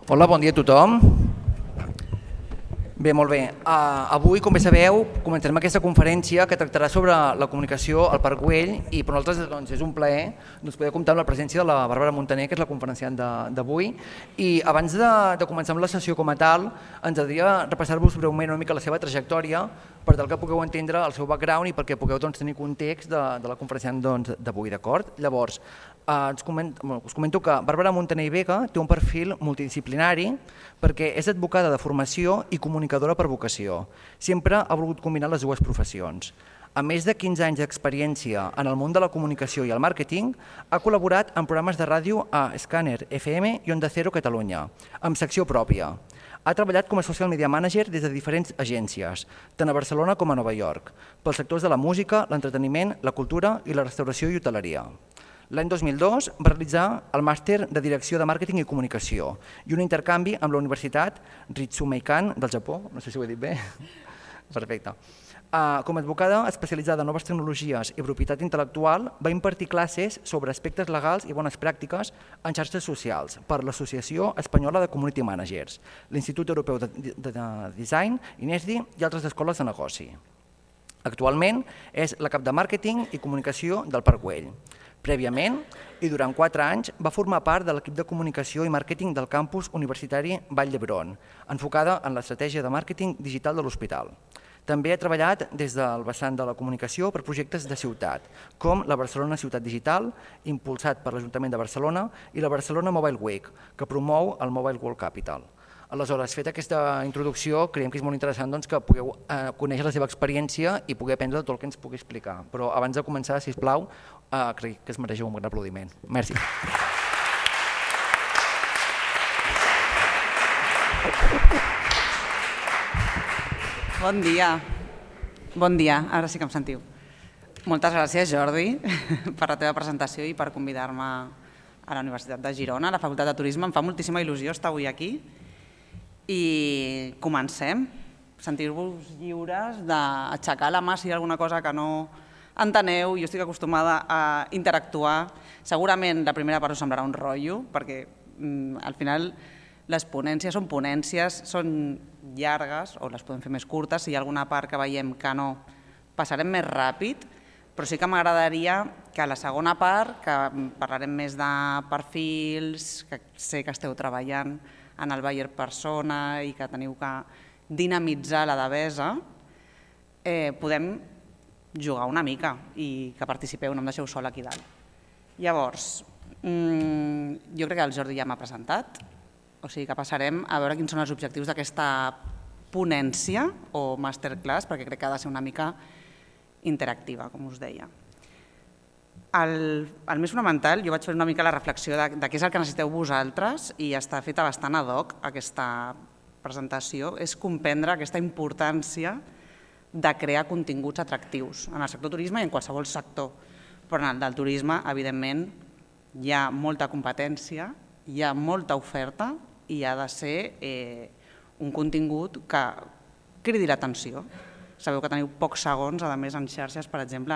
Hola, bon dia a tothom. Bé, molt bé. Avui, com bé sabeu, començarem aquesta conferència que tractarà sobre la comunicació al Parc Güell i per nosaltres és un plaer poder comptar amb la presència de la Bàrbara Montaner, que és la conferenciant d'avui. I abans de començar amb la sessió com a tal, ens agradaria repassar-vos breument una mica la seva trajectòria per tal que pugueu entendre el seu background i perquè pugueu tenir context de la conferenciant d'avui, d'acord? Llavors, us comento que Bàrbara Montaner i Vega té un perfil multidisciplinari perquè és advocada de formació i comunicadora per vocació. Sempre ha volgut combinar les dues professions. A més de 15 anys d'experiència en el món de la comunicació i el màrqueting, ha col·laborat en programes de ràdio a Scanner FM i Onda Cero Catalunya, amb secció pròpia. Ha treballat com a social media manager des de diferents agències, tant a Barcelona com a Nova York, pels sectors de la música, l'entreteniment, la cultura i la restauració i hoteleria. L'any 2002 va realitzar el màster de Direcció de Màrqueting i Comunicació i un intercanvi amb la Universitat Ritsumeikan del Japó, no sé si ho he dit bé. Perfecte. Com a advocada especialitzada en noves tecnologies i propietat intel·lectual, va impartir classes sobre aspectes legals i bones pràctiques en xarxes socials per l'Associació Espanyola de Community Managers, l'Institut Europeu de Design, INESDI i altres escoles de negoci. Actualment és la cap de màrqueting i comunicació del Parc Güell. Prèviament, i durant 4 anys, va formar part de l'equip de comunicació i màrqueting del campus universitari Vall d'Hebron, enfocada en l'estratègia de màrqueting digital de l'hospital. També ha treballat des del vessant de la comunicació per projectes de ciutat, com la Barcelona Ciutat Digital, impulsat per l'Ajuntament de Barcelona, i la Barcelona Mobile Week, que promou el Mobile World Capital. Aleshores, feta aquesta introducció, creiem que és molt interessant que pugueu conèixer la seva experiència i poder aprendre tot el que ens pugui explicar. Però abans de començar, sisplau, crec que es mereix un gran aplaudiment. Merci. Bon dia. Bon dia, ara sí que em sentiu. Moltes gràcies, Jordi, per la teva presentació i per convidar-me a la Universitat de Girona, a la Facultat de Turisme. Em fa moltíssima il·lusió estar avui aquí. I comencem. Sentir-vos lliures d'aixecar la mà si hi ha alguna cosa que no enteneu. Jo estic acostumada a interactuar. Segurament la primera part us semblarà un rotllo, perquè al final les ponències són ponències, són llargues o les podem fer més curtes. Si hi ha alguna part que veiem que no, passarem més ràpid, però sí que m'agradaria que a la segona part, que parlarem més de perfils, que sé que esteu treballant en el buyer persona i que teniu que dinamitzar la devesa, podem jugar una mica i que participeu, no em deixeu sol aquí dalt. Llavors, jo crec que el Jordi ja m'ha presentat, o sigui que passarem a veure quins són els objectius d'aquesta ponència o masterclass, perquè crec que ha de ser una mica interactiva, com us deia. El més fonamental, jo vaig fer una mica la reflexió de què és el que necessiteu vosaltres i està feta bastant ad hoc aquesta presentació, és comprendre aquesta importància de crear continguts atractius en el sector turisme i en qualsevol sector. Però en el del turisme, evidentment, hi ha molta competència, hi ha molta oferta i ha de ser un contingut que cridi l'atenció. Sabeu que teniu pocs segons, a més, en xarxes, per exemple,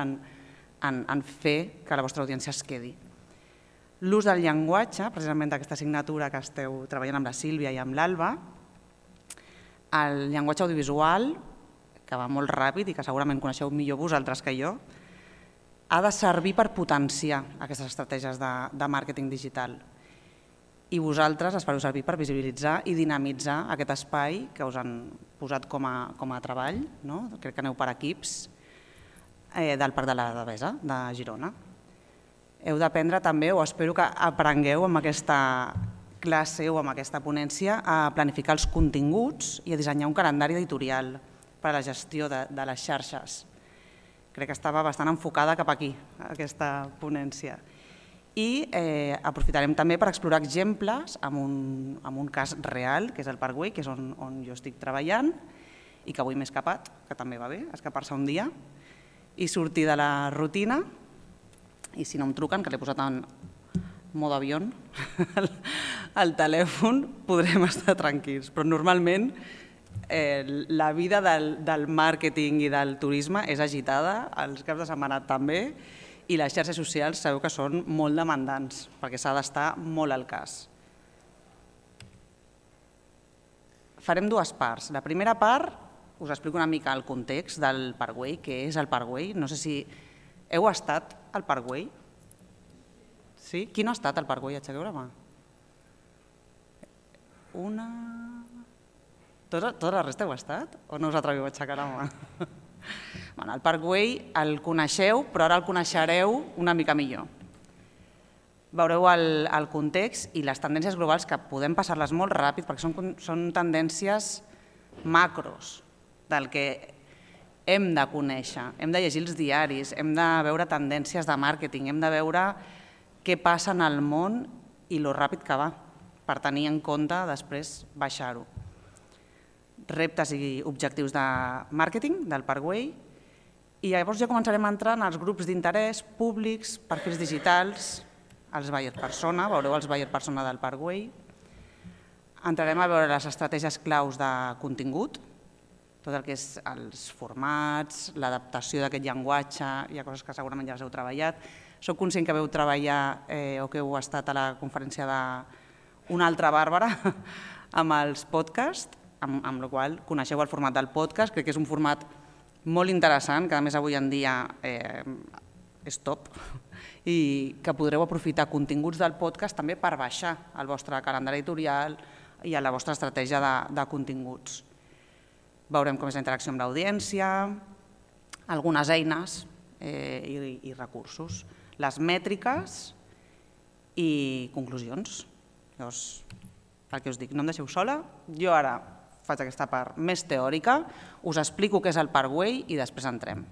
en fer que la vostra audiència es quedi. L'ús del llenguatge, precisament d'aquesta assignatura que esteu treballant amb la Sílvia i amb l'Alba, el llenguatge audiovisual, que va molt ràpid i que segurament coneixeu millor vosaltres que jo, ha de servir per potenciar aquestes estratègies de màrqueting digital. I vosaltres les fareu servir per visibilitzar i dinamitzar aquest espai que us han posat com a treball, crec que aneu per equips, del Parc de la Devesa de Girona. Heu d'aprendre també, o espero que aprengueu amb aquesta classe o amb aquesta ponència, a planificar els continguts i a dissenyar un calendari editorial per a la gestió de les xarxes. Crec que estava bastant enfocada cap aquí, aquesta ponència. I aprofitarem també per explorar exemples amb un cas real, que és el Parc Güell, que és on jo estic treballant i que avui m'he escapat, que també va bé, escapar-se un dia, i sortir de la rutina, i si no em truquen, que l'he posat en mode avió al telèfon, podrem estar tranquils. Però normalment la vida del màrqueting i del turisme és agitada, els caps de setmana també, i les xarxes socials sabeu que són molt demandants, perquè s'ha d'estar molt al cas. farem dues parts. La primera part us explico una mica el context del Parkway, què és el Parkway. No sé si heu estat al Parkway. Sí? Qui no ha estat al Parkway? Aixequeu la mà. Una... Tota la resta heu estat? O no us atreviu a aixecar la mà? El Parkway el coneixeu, però ara el coneixereu una mica millor. Veureu el context i les tendències globals, que podem passar-les molt ràpid perquè són tendències macros del que hem de conèixer, hem de llegir els diaris, hem de veure tendències de màrqueting, hem de veure què passa en el món i lo ràpid que va, per tenir en compte després baixar-ho. Reptes i objectius de màrqueting del Parkway, i llavors ja començarem a entrar en els grups d'interès públics, perfils digitals, els buyer persona, veureu els buyer persona del Parkway. Entrarem a veure les estratègies claus de contingut, tot el que és els formats, l'adaptació d'aquest llenguatge, hi ha coses que segurament ja les heu treballat. Soc conscient que veu treballar o que heu estat a la conferència d'una altra Bàrbara amb els podcasts, amb la qual coneixeu el format del podcast. Crec que és un format molt interessant, que a més avui en dia és top, i que podreu aprofitar continguts del podcast també per baixar el vostre calendari editorial i a la vostra estratègia de continguts. Veurem com és la interacció amb l'audiència, algunes eines i recursos, les mètriques i conclusions. Llavors, el que us dic, no em deixeu sola, jo ara faig aquesta part més teòrica, us explico què és el Parkway i després entrem.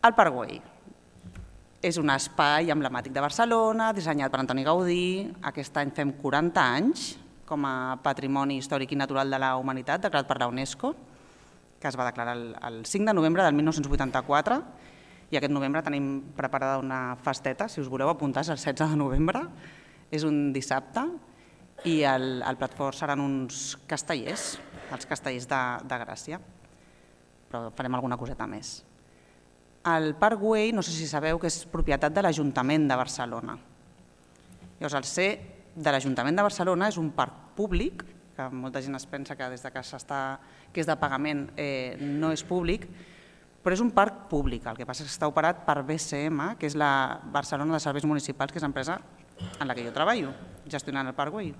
El Parkway és un espai emblemàtic de Barcelona, dissenyat per Antoni Gaudí. Aquest any fem 40 anys com a Patrimoni Històric i Natural de la Humanitat, declarat per la UNESCO, que es va declarar el 5 de novembre del 1984, i aquest novembre tenim preparada una festeta, si us voleu apuntar, és el 16 de novembre, és un dissabte, i el plat fort seran uns castellers, els castellers de Gràcia, però farem alguna coseta més. El Parkway, no sé si sabeu que és propietat de l'Ajuntament de Barcelona. Llavors, el ser de l'Ajuntament de Barcelona és un parc públic, que molta gent es pensa que des que és de pagament no és públic, però és un parc públic, el que passa és que està operat per BCM, que és la Barcelona de Serveis Municipals, que és l'empresa en la que jo treballo, gestionant el Parkway.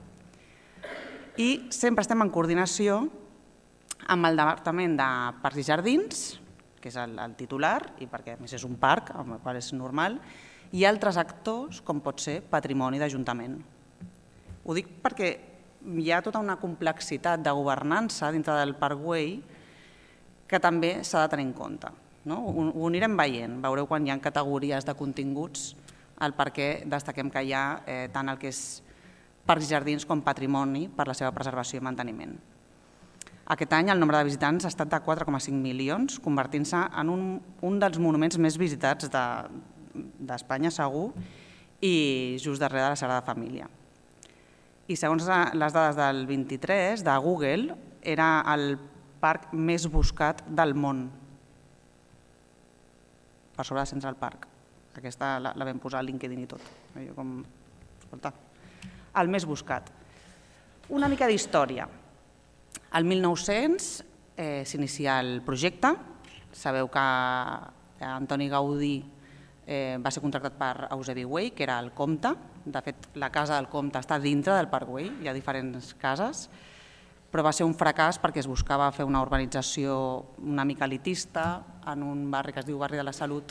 I sempre estem en coordinació amb el Departament de Parcs i Jardins, que és el titular, i perquè a més és un parc, amb el qual és normal, i altres actors, com pot ser Patrimoni d'Ajuntament. Ho dic perquè hi ha tota una complexitat de governança dintre del Parkway que també s'ha de tenir en compte. Ho anirem veient, veureu quan hi ha categories de continguts el per què destaquem que hi ha tant el que és parcs i jardins com patrimoni per la seva preservació i manteniment. Aquest any el nombre de visitants ha estat de 4,5 milions, convertint-se en un dels monuments més visitats d'Espanya, segur, i just darrere de la Sagrada Família. I segons les dades del 23 de Google, era el parc més buscat del món, per sobre de Central Park. Aquesta la vam posar al LinkedIn i tot. El més buscat. Una mica d'història. El 1900 s'inicia el projecte. Sabeu que Antoni Gaudí va ser contractat per Eusebi Güell, que era el comte. De fet, la casa del comte està dintre del Parkway, hi ha diferents cases, però va ser un fracàs perquè es buscava fer una urbanització una mica elitista en un barri que es diu Barri de la Salut,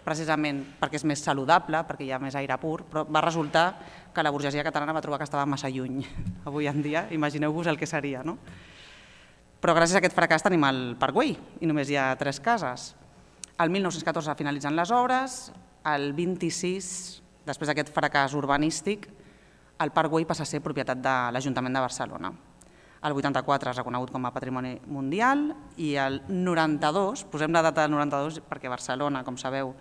precisament perquè és més saludable, perquè hi ha més aire pur, però va resultar que la burgesia catalana va trobar que estava massa lluny. Avui en dia, imagineu-vos el que seria, no? Però gràcies a aquest fracàs tenim el Parkway i només hi ha 3 cases. El 1914 finalitzen les obres, el 26, després d'aquest fracàs urbanístic, el Parkway passa a ser propietat de l'Ajuntament de Barcelona. El 84 és reconegut com a Patrimoni Mundial i el 92, posem la data del 92 perquè Barcelona, com sabeu,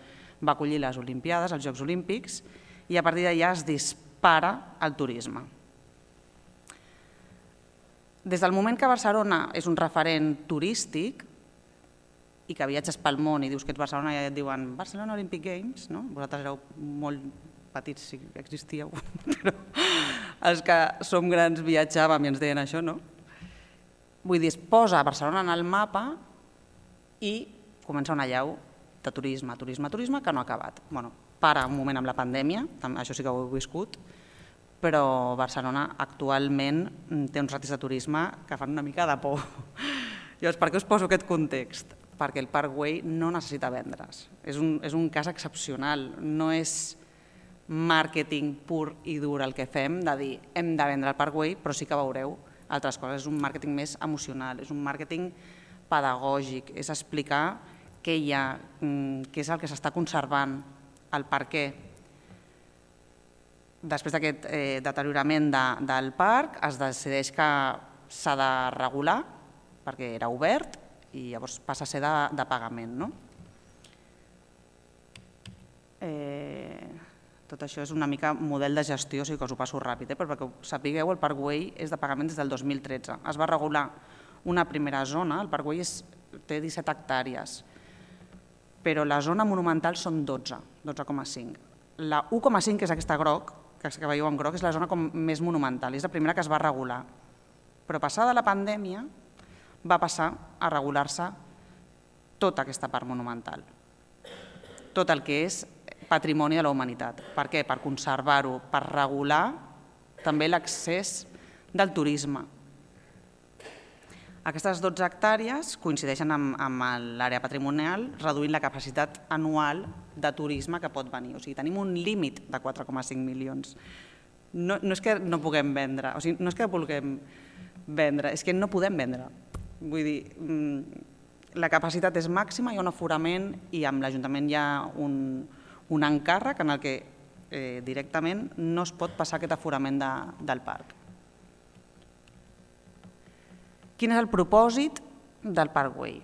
va acollir les Olimpiades, els Jocs Olímpics, i a partir d'allà es dispara el turisme. Des del moment que Barcelona és un referent turístic i que viatges pel món i dius que ets Barcelona i et diuen Barcelona Olympic Games, vosaltres éreu molt petits si existíeu, però els que som grans viatjàvem i ens deien això, no? Vull dir, es posa Barcelona en el mapa i comença una allau de turisme, que no ha acabat. Bueno, para un moment amb la pandèmia, això sí que ho he viscut, però Barcelona actualment té uns ratis de turisme que fan una mica de por. Llavors, per què us poso aquest context? Perquè el Parc Güell no necessita vendre's. És un cas excepcional, no és màrqueting pur i dur el que fem, de dir hem de vendre el Parc Güell, però sí que veureu altres coses. És un màrqueting més emocional, és un màrqueting pedagògic, és explicar què hi ha, què és el que s'està conservant, el per què. Després d'aquest deteriorament del parc es decideix que s'ha de regular perquè era obert i llavors passa a ser de pagament. Tot això és una mica model de gestió, o sigui que us ho passo ràpid, però perquè ho sapigueu, el Parc Güell és de pagament des del 2013. Es va regular una primera zona, el Parc Güell té 17 hectàrees, però la zona monumental són 12, 12,5. La 1,5, que és aquesta groc, que veieu en groc, és la zona més monumental, és la primera que es va regular. Però passada la pandèmia va passar a regular-se tota aquesta part monumental, tot el que és patrimoni de la humanitat. Per què? Per conservar-ho, per regular també l'accés del turisme. Aquestes 12 hectàrees coincideixen amb l'àrea patrimonial, reduint la capacitat anual de turisme que pot venir. O sigui, tenim un límit de 4,5 milions. No és que no puguem vendre, o sigui, no és que vulguem vendre, és que no podem vendre. Vull dir, la capacitat és màxima, hi ha un aforament i amb l'Ajuntament hi ha un encàrrec en el que directament no es pot passar aquest aforament del parc. Quin és el propòsit del Parc Güell?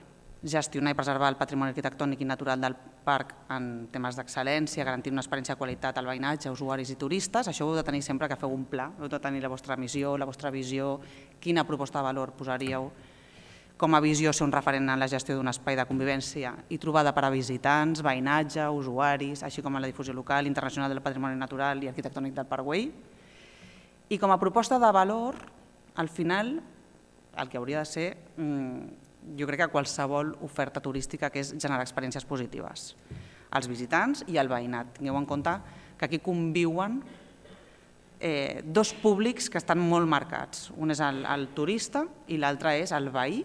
Gestionar i preservar el patrimoni arquitectònic i natural del parc en temes d'excel·lència, garantir una experiència de qualitat al veïnatge, usuaris i turistes. Això ho heu de tenir sempre que feu un pla, heu de tenir la vostra missió, la vostra visió, quina proposta de valor posaríeu. Com a visió, ser un referent en la gestió d'un espai de convivència i trobada per a visitants, veïnatge, usuaris, així com en la difusió local, internacional del patrimoni natural i arquitectònic del Parc Güell. I com a proposta de valor, al final, el que hauria de ser, jo crec que qualsevol oferta turística, que és generar experiències positives als visitants i al veïnat. Tingueu en compte que aquí conviuen dos públics que estan molt marcats. Un és el turista i l'altre és el veí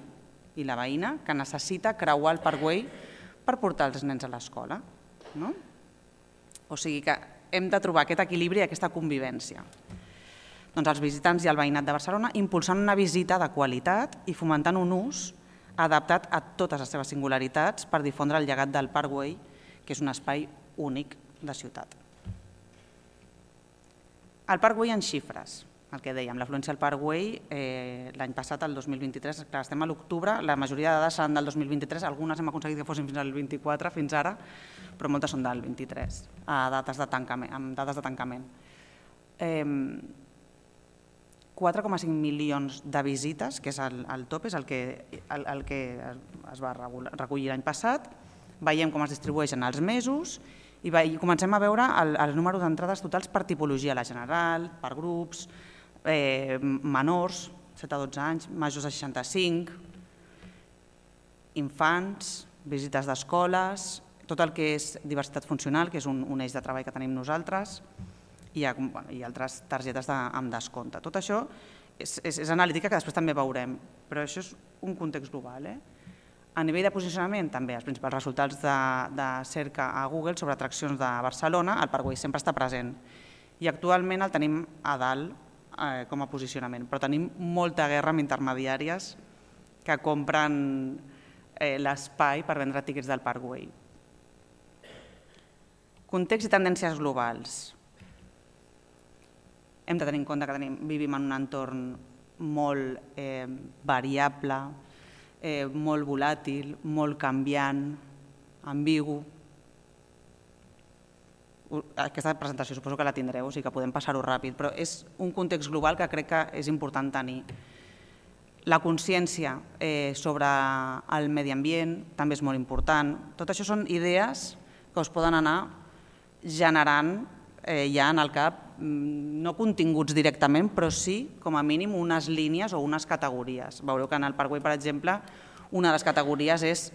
i la veïna que necessita creuar el Parc Güell per portar els nens a l'escola. O sigui que hem de trobar aquest equilibri i aquesta convivència. Doncs els visitants i el veïnat de Barcelona impulsant una visita de qualitat i fomentant un ús adaptat a totes les seves singularitats per difondre el llegat del Parc Güell, que és un espai únic de ciutat. El Parc Güell en xifres, el que dèiem, l'afluència al Parc Güell l'any passat, el 2023, clar, estem a l'octubre, la majoria de dades seran del 2023, algunes hem aconseguit que fossin fins al 24 fins ara, però moltes són del 23, amb dades de tancament. 4,5 milions de visites, que és el top, és el que es va recollir l'any passat. Veiem com es distribueixen els mesos i comencem a veure els números d'entrades totals per tipologia, la general, per grups, menors, 7 a 12 anys, majors a 65, infants, visites d'escoles, tot el que és diversitat funcional, que és un eix de treball que tenim nosaltres, i altres targetes amb descompte. Tot això és analítica que després també veurem, però això és un context global. A nivell de posicionament, també els principals resultats de cerca a Google sobre atraccions de Barcelona, el Parc Güell sempre està present i actualment el tenim a dalt com a posicionament, però tenim molta guerra amb intermediàries que compren l'espai per vendre tíquets del Parc Güell. Context i tendències globals. Hem de tenir en compte que vivim en un entorn molt variable, molt volàtil, molt canviant, ambigu. Aquesta presentació suposo que la tindreu, o sigui que podem passar-ho ràpid, però és un context global que crec que és important tenir. La consciència sobre el medi ambient també és molt important. Tot això són idees que us poden anar generant ja en el cap no continguts directament, però sí, com a mínim, unes línies o unes categories. Veureu que en el Parkway, per exemple, una de les categories és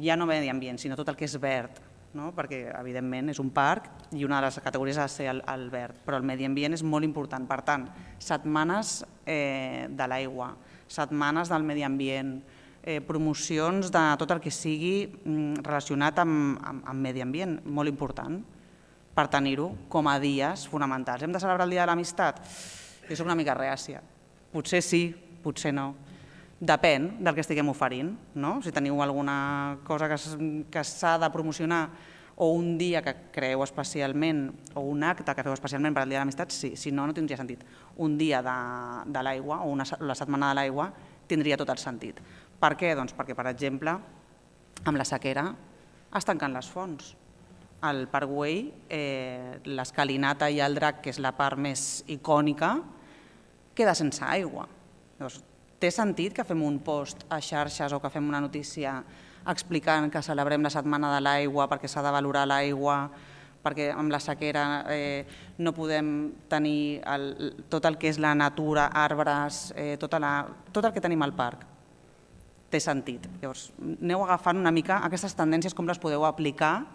ja no medi ambient, sinó tot el que és verd, perquè, evidentment, és un parc i una de les categories ha de ser el verd, però el medi ambient és molt important. Per tant, setmanes de l'aigua, setmanes del medi ambient, promocions de tot el que sigui relacionat amb medi ambient, molt important, per tenir-ho com a dies fonamentals. Hem de celebrar el Dia de l'Amistat? Jo soc una mica reàcia. Potser sí, potser no. Depèn del que estiguem oferint. Si teniu alguna cosa que s'ha de promocionar o un dia que creeu especialment o un acte que feu especialment per al Dia de l'Amistat, sí. Si no, no tindria sentit. Un dia de l'aigua o la setmana de l'aigua tindria tot el sentit. Per què? Doncs perquè, per exemple, amb la sequera es tanquen les fonts. Al Parkway, l'escalinata i el drac, que és la part més icònica, queda sense aigua. Llavors, té sentit que fem un post a xarxes o que fem una notícia explicant que celebrem la setmana de l'aigua perquè s'ha de valorar l'aigua, perquè amb la sequera no podem tenir tot el que és la natura, arbres, tot el que tenim al parc. Té sentit. Llavors, aneu agafant una mica aquestes tendències, com les podeu aplicar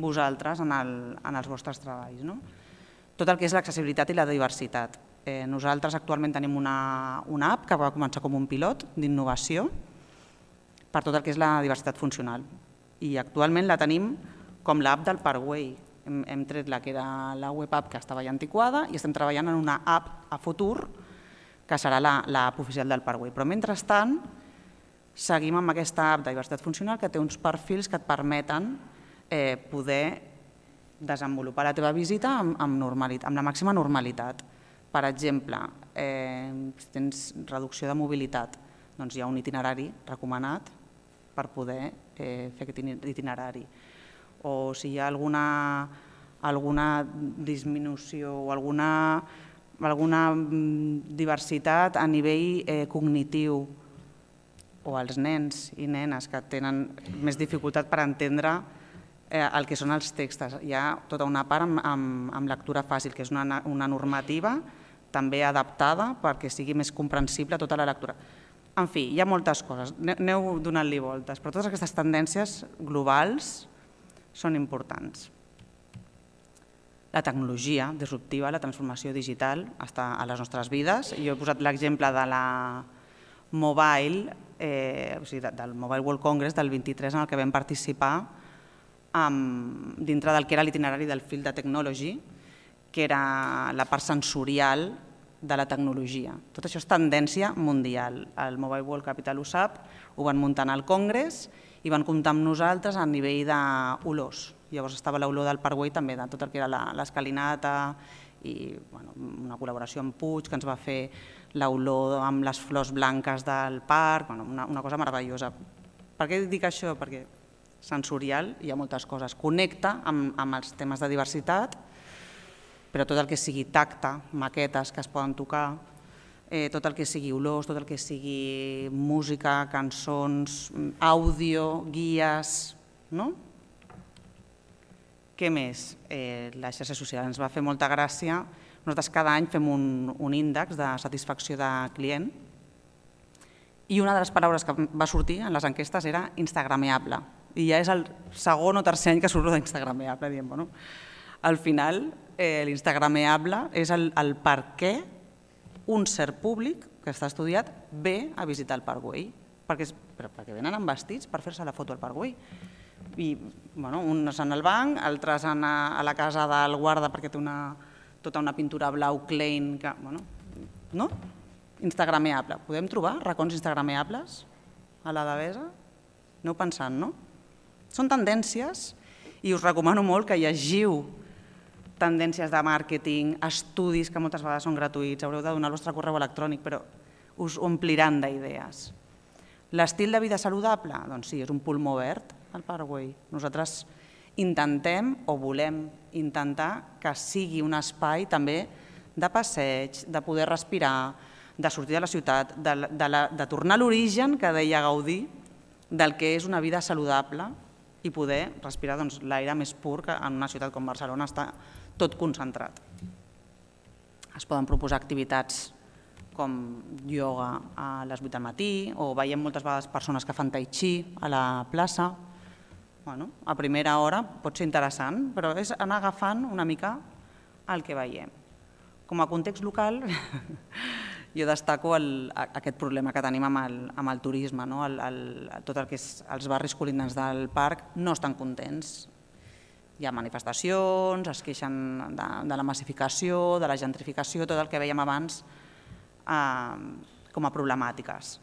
vosaltres en els vostres treballs. Tot el que és l'accessibilitat i la diversitat. Nosaltres actualment tenim una app que va començar com un pilot d'innovació per tot el que és la diversitat funcional. I actualment la tenim com l'app del Parkway. Hem tret la que era la web app que estava ja antiquada i estem treballant en una app a futur que serà l'app oficial del Parkway. Però mentrestant seguim amb aquesta app de diversitat funcional que té uns perfils que et permeten poder desenvolupar la teva visita amb la màxima normalitat. Per exemple, si tens reducció de mobilitat, doncs hi ha un itinerari recomanat per poder fer aquest itinerari. O si hi ha alguna disminució o alguna diversitat a nivell cognitiu, o els nens i nenes que tenen més dificultat per entendre el que són els textos. Hi ha tota una part amb lectura fàcil, que és una normativa també adaptada perquè sigui més comprensible tota la lectura. En fi, hi ha moltes coses, aneu donant-li voltes, però totes aquestes tendències globals són importants. La tecnologia disruptiva, la transformació digital està a les nostres vides. Jo he posat l'exemple de la Mobile, del Mobile World Congress del 23 en el que vam participar dintre del que era l'itinerari del Field de Technology, que era la part sensorial de la tecnologia. Tot això és tendència mundial. El Mobile World Capital ho sap, ho van muntar al Congrés i van comptar amb nosaltres a nivell d'olors. Llavors estava l'olor del Parkway també, de tot el que era l'escalinata i una col·laboració amb Puig que ens va fer l'olor amb les flors blanques del parc, una cosa meravellosa. Per què dic això? Perquè sensorial hi ha moltes coses. Connecta amb els temes de diversitat, però tot el que sigui tacte, maquetes que es poden tocar, tot el que sigui olors, tot el que sigui música, cançons, àudio, guies, no? Què més? Les xarxes socials ens va fer molta gràcia. Nosaltres cada any fem un índex de satisfacció de client i una de les paraules que va sortir en les enquestes era instagrameable. I ja és el segon o tercer any que surt d'instagrameable. Diem, al final, l'instagrameable és el per què un cert públic que està estudiat ve a visitar el Parkway. Perquè venen amb vestits per fer-se la foto al Parkway. I uns en el banc, altres a la casa del guarda perquè té tota una pintura blau Klein. No? Instagrameable. Podem trobar racons instagrameables a la Devesa? Aneu pensant, no? Són tendències i us recomano molt que llegiu tendències de màrqueting, estudis que moltes vegades són gratuïts, haureu de donar el vostre correu electrònic, però us ompliran d'idees. L'estil de vida saludable? Doncs sí, és un pulmó verd, el Parkway. Nosaltres intentem o volem intentar que sigui un espai també de passeig, de poder respirar, de sortir de la ciutat, de tornar a l'origen que deia Gaudí, del que és una vida saludable i poder respirar l'aire més pur que en una ciutat com Barcelona està tot concentrat. Es poden proposar activitats com ioga a les 8 del matí, o veiem moltes vegades persones que fan tai chi a la plaça. A primera hora pot ser interessant, però és anar agafant una mica el que veiem. Com a context local, jo destaco aquest problema que tenim amb el turisme. Tot el que és els barris colindants del parc no estan contents. Hi ha manifestacions, es queixen de la massificació, de la gentrificació, tot el que vèiem abans com a problemàtiques.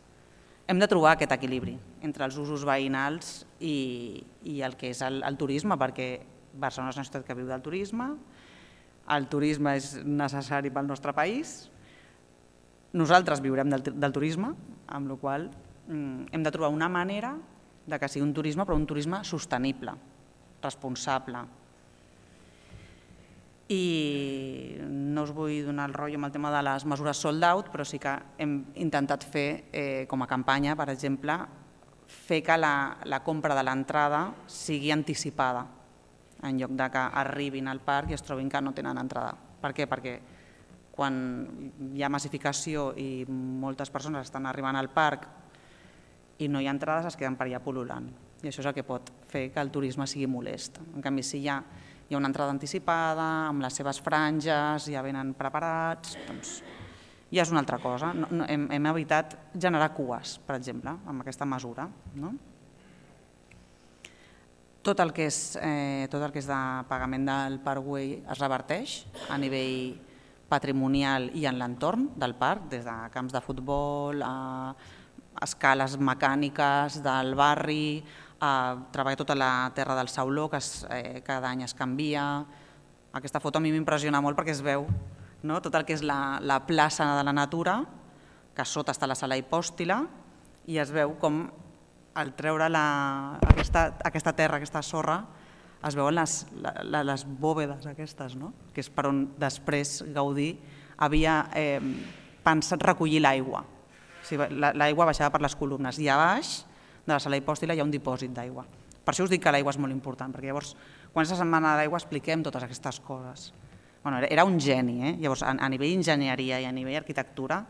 Hem de trobar aquest equilibri entre els usos veïnals i el que és el turisme, perquè Barcelona és una ciutat que viu del turisme, el turisme és necessari pel nostre país, nosaltres viurem del turisme, amb la qual cosa hem de trobar una manera que sigui un turisme, però un turisme sostenible, responsable. I no us vull donar el rotllo amb el tema de les mesures sold out, però sí que hem intentat fer com a campanya, per exemple, fer que la compra de l'entrada sigui anticipada, en lloc de que arribin al parc i es trobin que no tenen entrada. Per què? Perquè quan hi ha massificació i moltes persones estan arribant al parc i no hi ha entrades, es queden per allà pol·lulant. I això és el que pot fer que el turisme sigui molest. En canvi, si hi ha una entrada anticipada, amb les seves franges, ja venen preparats, doncs ja és una altra cosa. Hem evitat generar cues, per exemple, amb aquesta mesura. Tot el que és de pagament del Parkway es reverteix a nivell patrimonial i en l'entorn del parc, des de camps de futbol, a escales mecàniques del barri, a treballar tota la terra del Sauló, que cada any es canvia. Aquesta foto a mi m'impressiona molt perquè es veu tot el que és la plaça de la natura, que a sota està la sala hipòstila, i es veu com al treure aquesta terra, aquesta sorra, es veuen les bòvedes aquestes, que és per on després Gaudí havia pensat recollir l'aigua. L'aigua baixava per les columnes i a baix de la sala hipòstila hi ha un dipòsit d'aigua. Per això us dic que l'aigua és molt important, perquè llavors, quan és la setmana de l'aigua, expliquem totes aquestes coses. Era un geni, llavors a nivell d'enginyeria i a nivell d'arquitectura,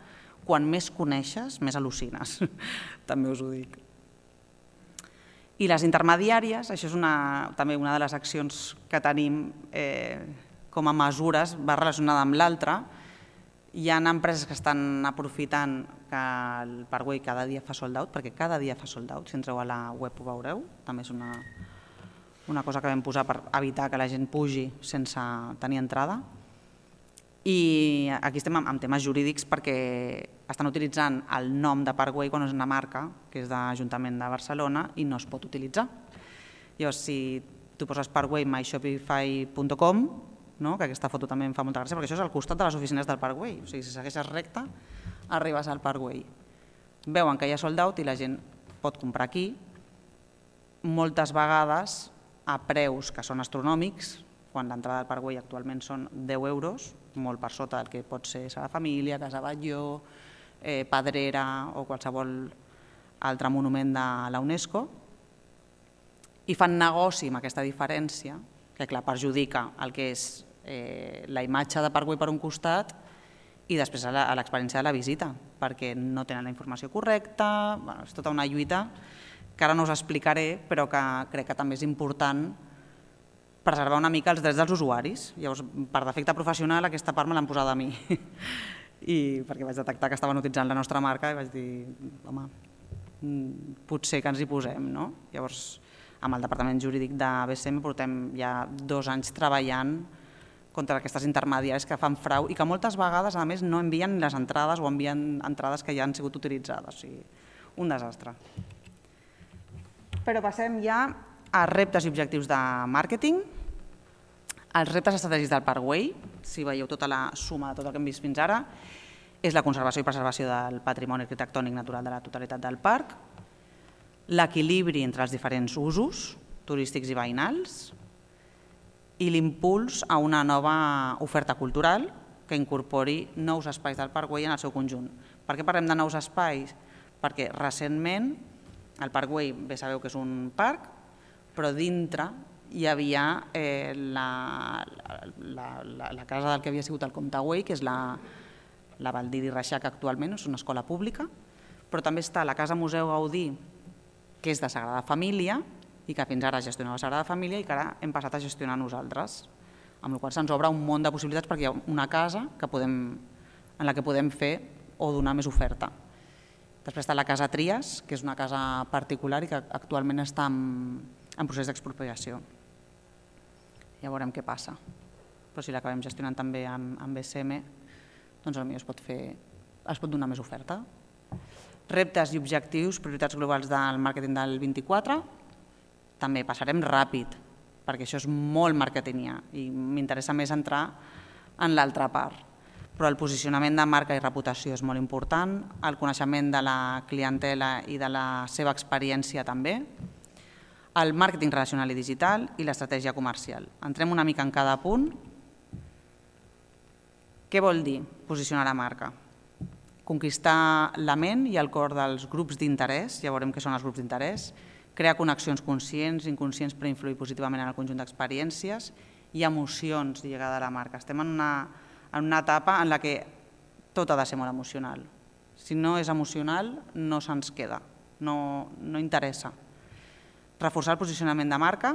quan més coneixes, més al·lucines, també us ho dic. I les intermediàries, això és també una de les accions que tenim com a mesures, va relacionada amb l'altra. Hi ha empreses que estan aprofitant que el Parkway cada dia fa sold out, perquè cada dia fa sold out, si entreu a la web ho veureu, també és una cosa que vam posar per evitar que la gent pugi sense tenir entrada. I aquí estem amb temes jurídics perquè estan utilitzant el nom de Parkway quan és una marca, que és de l'Ajuntament de Barcelona, i no es pot utilitzar. Llavors, si tu poses Parkway myshopify.com, que aquesta foto també em fa molta gràcia, perquè això és al costat de les oficines del Parkway. O sigui, si segueixes recte, arribes al Parkway. Veuen que hi ha sold out i la gent pot comprar aquí, moltes vegades a preus que són astronòmics, quan l'entrada del Parkway actualment són 10 euros, molt per sota del que pot ser Sagrada Família, Casa Batlló, Pedrera o qualsevol altre monument de la UNESCO, i fan negoci amb aquesta diferència, que clar, perjudica el que és la imatge de Parkway per un costat i després a l'experiència de la visita, perquè no tenen la informació correcta. És tota una lluita que ara no us explicaré, però que crec que també és important preservar una mica els drets dels usuaris. Llavors, per defecte professional, aquesta part me l'han posada a mi, perquè vaig detectar que estaven utilitzant la nostra marca i vaig dir, home, potser que ens hi posem. Llavors, amb el Departament Jurídic de BCM portem ja 2 anys treballant contra aquestes intermediaris que fan frau i que moltes vegades, a més, no envien les entrades o envien entrades que ja han sigut utilitzades. O sigui, un desastre. Però passem ja a reptes i objectius de màrqueting. Els reptes estratègics del Parkway, si veieu tota la suma de tot el que hem vist fins ara, és la conservació i preservació del patrimoni arquitectònic natural de la totalitat del parc, l'equilibri entre els diferents usos turístics i veïnals i l'impuls a una nova oferta cultural que incorpori nous espais del Parkway en el seu conjunt. Per què parlem de nous espais? Perquè recentment el Parkway, bé sabeu que és un parc, però dintre hi havia la casa del que havia sigut el Comte Güell, que és la Baldiri Reixac actualment, és una escola pública, però també està la Casa Museu Gaudí, que és de Sagrada Família, i que fins ara gestionava Sagrada Família i que ara hem passat a gestionar nosaltres, amb la qual cosa se'ns obre un món de possibilitats perquè hi ha una casa en la que podem fer o donar més oferta. Després està la Casa Trias, que és una casa particular i que actualment està en procés d'expropiació. Ja veurem què passa. Però si l'acabem gestionant també amb BCM, doncs potser es pot donar més oferta. Reptes i objectius, prioritats globals del màrqueting del 24. També passarem ràpid, perquè això és molt marketingià i m'interessa més entrar en l'altra part. Però el posicionament de marca i reputació és molt important, el coneixement de la clientela i de la seva experiència també, el màrqueting relacional i digital i l'estratègia comercial. Entrem una mica en cada punt. Què vol dir posicionar la marca? Conquistar la ment i el cor dels grups d'interès, ja veurem què són els grups d'interès, crear connexions conscients i inconscients per influir positivament en el conjunt d'experiències i emocions lligades a la marca. Estem en una etapa en la que tot ha de ser molt emocional. Si no és emocional, no se'ns queda, no interessa. Reforçar el posicionament de marca,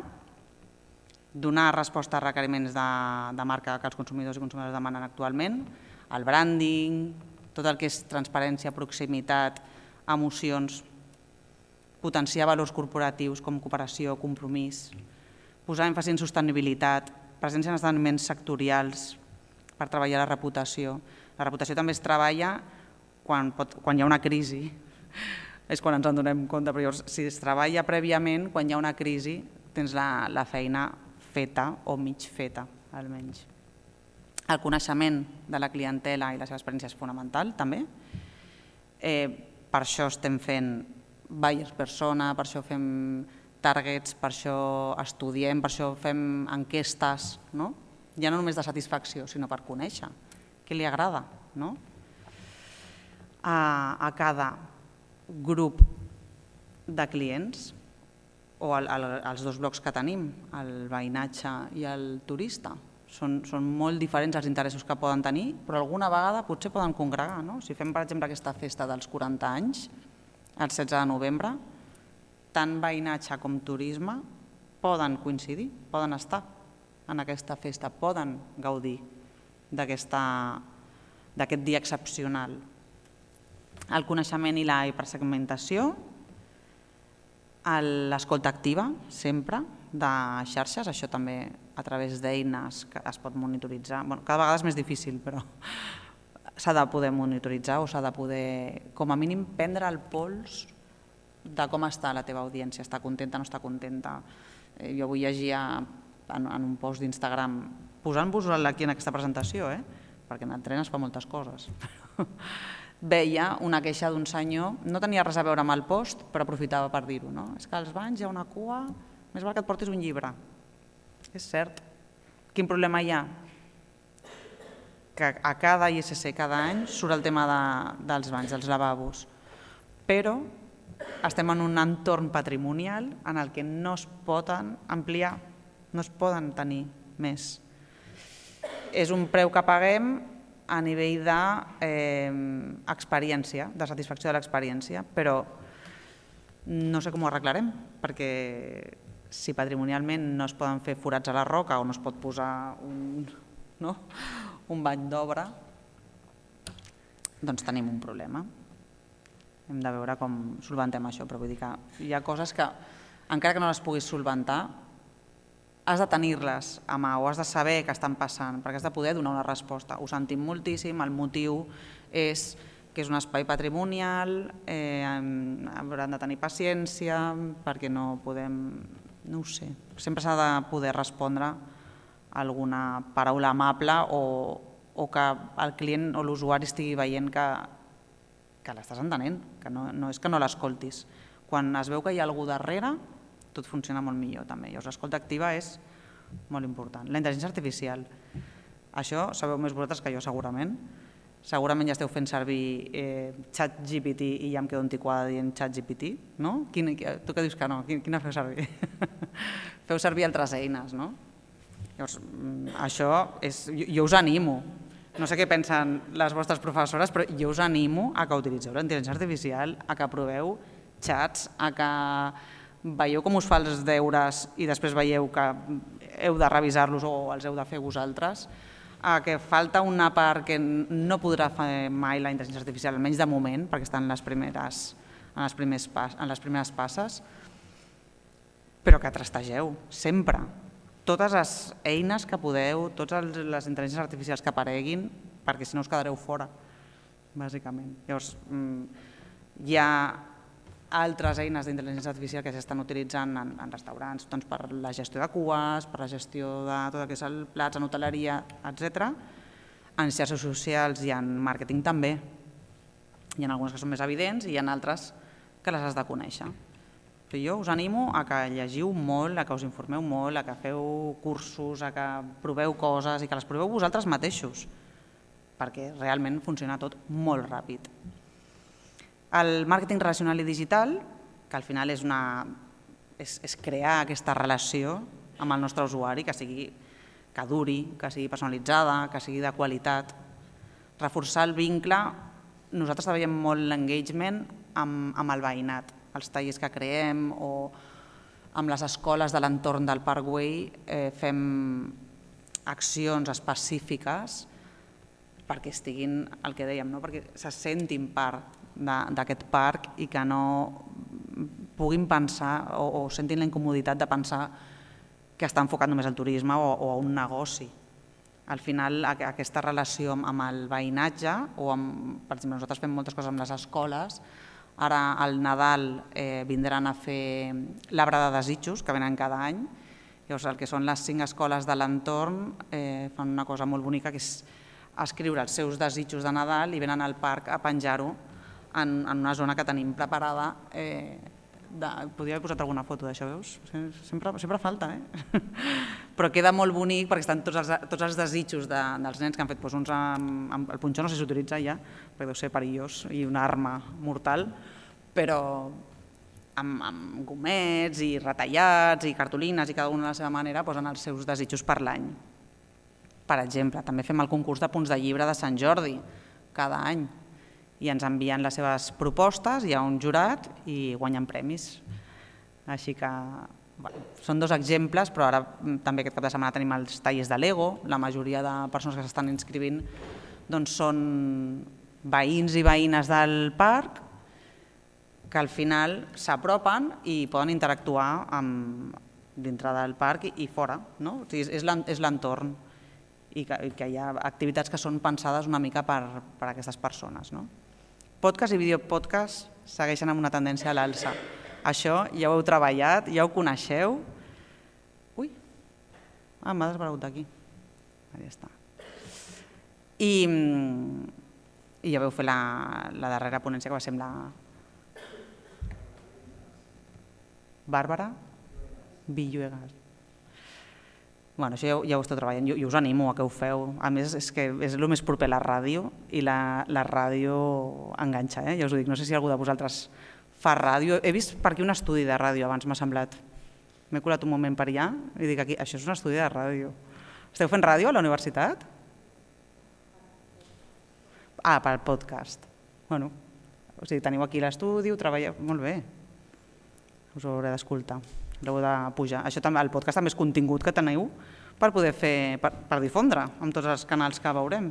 donar resposta a requeriments de marca que els consumidors i consumidores demanen actualment, el branding, tot el que és transparència, proximitat, emocions, potenciar valors corporatius com cooperació, compromís, posar èmfasi en sostenibilitat, presència en esdeveniments sectorials per treballar la reputació. La reputació també es treballa quan hi ha una crisi, és quan ens en donem compte, però llavors si es treballa prèviament, quan hi ha una crisi tens la feina feta o mig feta, almenys. El coneixement de la clientela i la seva experiència és fonamental, també. Per això estem fent buyers persona, per això fem targets, per això estudiem, per això fem enquestes, ja no només de satisfacció, sinó per conèixer què li agrada. A cada grup de clients, o els dos blocs que tenim, el veïnatge i el turista, són molt diferents els interessos que poden tenir, però alguna vegada potser poden congregar. Si fem, per exemple, aquesta festa dels 40 anys, el 16 de novembre, tant veïnatge com turisme poden coincidir, poden estar en aquesta festa, poden gaudir d'aquest dia excepcional. El coneixement i la hipersegmentació, l'escolta activa, sempre, de xarxes, això també a través d'eines que es pot monitoritzar. Cada vegada és més difícil, però s'ha de poder monitoritzar o s'ha de poder, com a mínim, prendre el pols de com està la teva audiència, està contenta o no està contenta. Jo avui llegia en un post d'Instagram, posant-vos aquí en aquesta presentació, perquè en el tren es fa moltes coses, veia una queixa d'un senyor, no tenia res a veure amb el post, però aprofitava per dir-ho. És que als banys hi ha una cua, més val que et portis un llibre. És cert. Quin problema hi ha? Que a cada ISC, cada any, surt el tema dels banys, dels lavabos. Però estem en un entorn patrimonial en el que no es poden ampliar, no es poden tenir més. És un preu que paguem a nivell d'experiència, de satisfacció de l'experiència, però no sé com ho arreglarem, perquè si patrimonialment no es poden fer forats a la roca o no es pot posar un bany d'obra, doncs tenim un problema. Hem de veure com solventem això, però vull dir que hi ha coses que, encara que no les puguis solventar, has de tenir-les a mà o has de saber què estan passant, perquè has de poder donar una resposta. Ho sentim moltíssim, el motiu és que és un espai patrimonial, hauran de tenir paciència, perquè no podem, no ho sé, sempre s'ha de poder respondre alguna paraula amable o que el client o l'usuari estigui veient que l'estàs entenent, que no és que no l'escoltis. Quan es veu que hi ha algú darrere, tot funciona molt millor també. Llavors l'escolta activa és molt important. La intel·ligència artificial, això sabeu més vosaltres que jo segurament, Segurament ja esteu fent servir ChatGPT i ja em quedo antiquada dient ChatGPT, no? Tu que dius que no? Quina feu servir? Feu servir altres eines, no? Llavors, això és... Jo us animo, no sé què pensen les vostres professores, però jo us animo a que utilitzeu la intel·ligència artificial, a que proveu xats, a que veieu com us fa els deures i després veieu que heu de revisar-los o els heu de fer vosaltres, que falta una part que no podrà fer mai la intel·ligència artificial, almenys de moment, perquè està en les primeres passes, però que trastegeu, sempre. Totes les eines que podeu, totes les intel·ligències artificials que apareguin, perquè si no us quedareu fora, bàsicament. Llavors, hi ha altres eines d'intel·ligència artificial que s'estan utilitzant en restaurants per la gestió de cues, per la gestió de tot el que és el plats, en hoteleria, etc. En xarxes socials i en màrqueting també. Hi ha algunes que són més evidents i hi ha altres que les has de conèixer. Però jo us animo a que llegiu molt, a que us informeu molt, a que feu cursos, a que proveu coses i que les proveu vosaltres mateixos, perquè realment funciona tot molt ràpid. El màrqueting relacional i digital, que al final és crear aquesta relació amb el nostre usuari, que duri, que sigui personalitzada, que sigui de qualitat. Reforçar el vincle, nosaltres treballem molt l'engagement amb el veïnat, els tallers que creem o amb les escoles de l'entorn del Parkway fem accions específiques perquè estiguin, el que dèiem, perquè se sentin part d'aquest parc i que no puguin pensar o sentin la incomoditat de pensar que està enfocat només al turisme o a un negoci. Al final, aquesta relació amb el veïnatge, per exemple, nosaltres fem moltes coses amb les escoles, ara al Nadal vindran a fer l'arbre de desitjos, que venen cada any, llavors el que són les 5 escoles de l'entorn fan una cosa molt bonica, que és escriure els seus desitjos de Nadal i venen al parc a penjar-ho en una zona que tenim preparada. Podria haver posat alguna foto d'això, veus? Sempre falta, però queda molt bonic perquè estan tots els desitjos dels nens que han fet uns amb el punxó, no sé si s'utilitza ja, perquè deu ser perillós i una arma mortal, però amb gomets i retallats i cartolines i cada una a la seva manera posen els seus desitjos per l'any. Per exemple, també fem el concurs de punts de llibre de Sant Jordi cada any i ens envien les seves propostes, hi ha un jurat i guanyen premis. Així que són 2 exemples, però ara també aquest cap de setmana tenim els tallers de Lego. La majoria de persones que s'estan inscrivint són veïns i veïnes del parc que al final s'apropen i poden interactuar dintre del parc i fora. És l'entorn i que hi ha activitats que són pensades una mica per a aquestes persones. Podcast i videopodcast segueixen amb una tendència a l'alça. Això ja ho heu treballat, ja ho coneixeu. Ui, m'ha desbarregut d'aquí. Ja està. I ja vau fer la darrera ponència, que va ser amb la Bàrbara Villegas. Això ja ho esteu treballant, jo us animo a que ho feu. A més, és que és el més proper a la ràdio i la ràdio enganxa, ja us ho dic. No sé si algú de vosaltres fa ràdio. He vist per aquí un estudi de ràdio abans, m'ha semblat. M'he colat un moment per allà i dic aquí, això és un estudi de ràdio. Esteu fent ràdio a la universitat? Pel podcast. O sigui, teniu aquí l'estudi, ho treballeu, molt bé. Us ho hauré d'escoltar. L'heu de pujar. El podcast també és contingut que teniu per poder fer, per difondre amb tots els canals que veurem.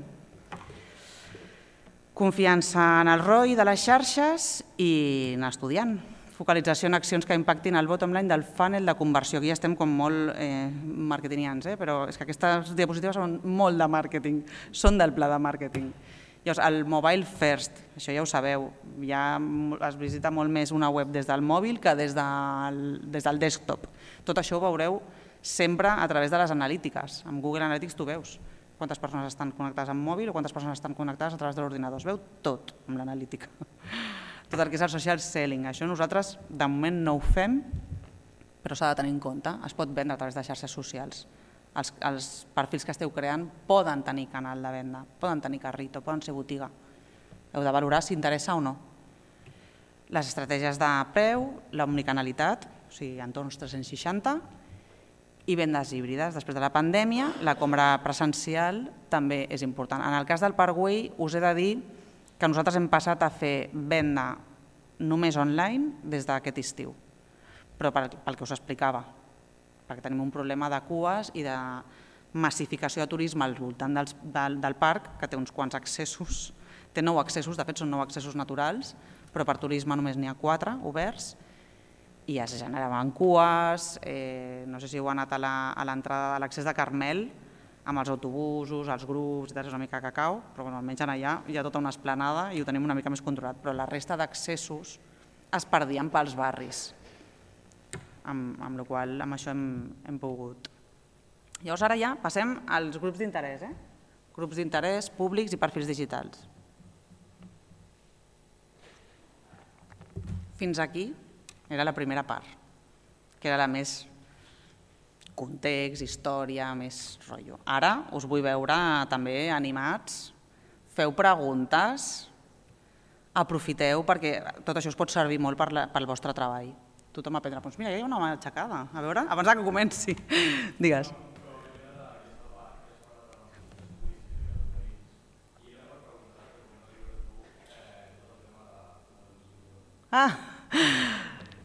Confiança en el ROI de les xarxes i en l'estudiant. Focalització en accions que impactin el bottom line del funnel de conversió. Aquí ja estem com molt marketingians, però és que aquestes diapositives són molt de màrqueting, són del pla de màrqueting. Llavors, el mobile first, això ja ho sabeu, ja es visita molt més una web des del mòbil que des del desktop. Tot això ho veureu sempre a través de les analítiques. Amb Google Analytics tu veus quantes persones estan connectades amb mòbil o quantes persones estan connectades a través de l'ordinador. Es veu tot amb l'analítica. Tot el que és el social selling. Això nosaltres de moment no ho fem, però s'ha de tenir en compte. Es pot vendre a través de xarxes socials. els perfils que esteu creant poden tenir canal de venda, poden tenir carrito, poden ser botiga. Heu de valorar si interessa o no. Les estratègies de preu, l'omnicanalitat, o sigui, entorns 360, i vendes híbrides. Després de la pandèmia, la compra presencial també és important. En el cas del Parkway, us he de dir que nosaltres hem passat a fer venda només online des d'aquest estiu, però pel que us explicava, perquè tenim un problema de cues i de massificació de turisme al voltant del parc, que té uns quants accessos, té 9 accessos, de fet són 9 accessos naturals, però per turisme només n'hi ha 4 oberts, i ja es generaven cues, no sé si heu anat a l'entrada de l'accés de Carmel, amb els autobusos, els grups, és una mica cacau, però almenys allà hi ha tota una esplanada i ho tenim una mica més controlat, però la resta d'accessos es perdien pels barris, amb la qual cosa amb això hem pogut. Llavors ara ja passem als grups d'interès, grups d'interès públics i perfils digitals. Fins aquí era la primera part, que era la més context, història, més rotllo. Ara us vull veure també animats, feu preguntes, aprofiteu perquè tot això us pot servir molt pel vostre treball. Tothom aprendrà, doncs mira, hi ha una mà aixecada, a veure, abans que comenci. Digues.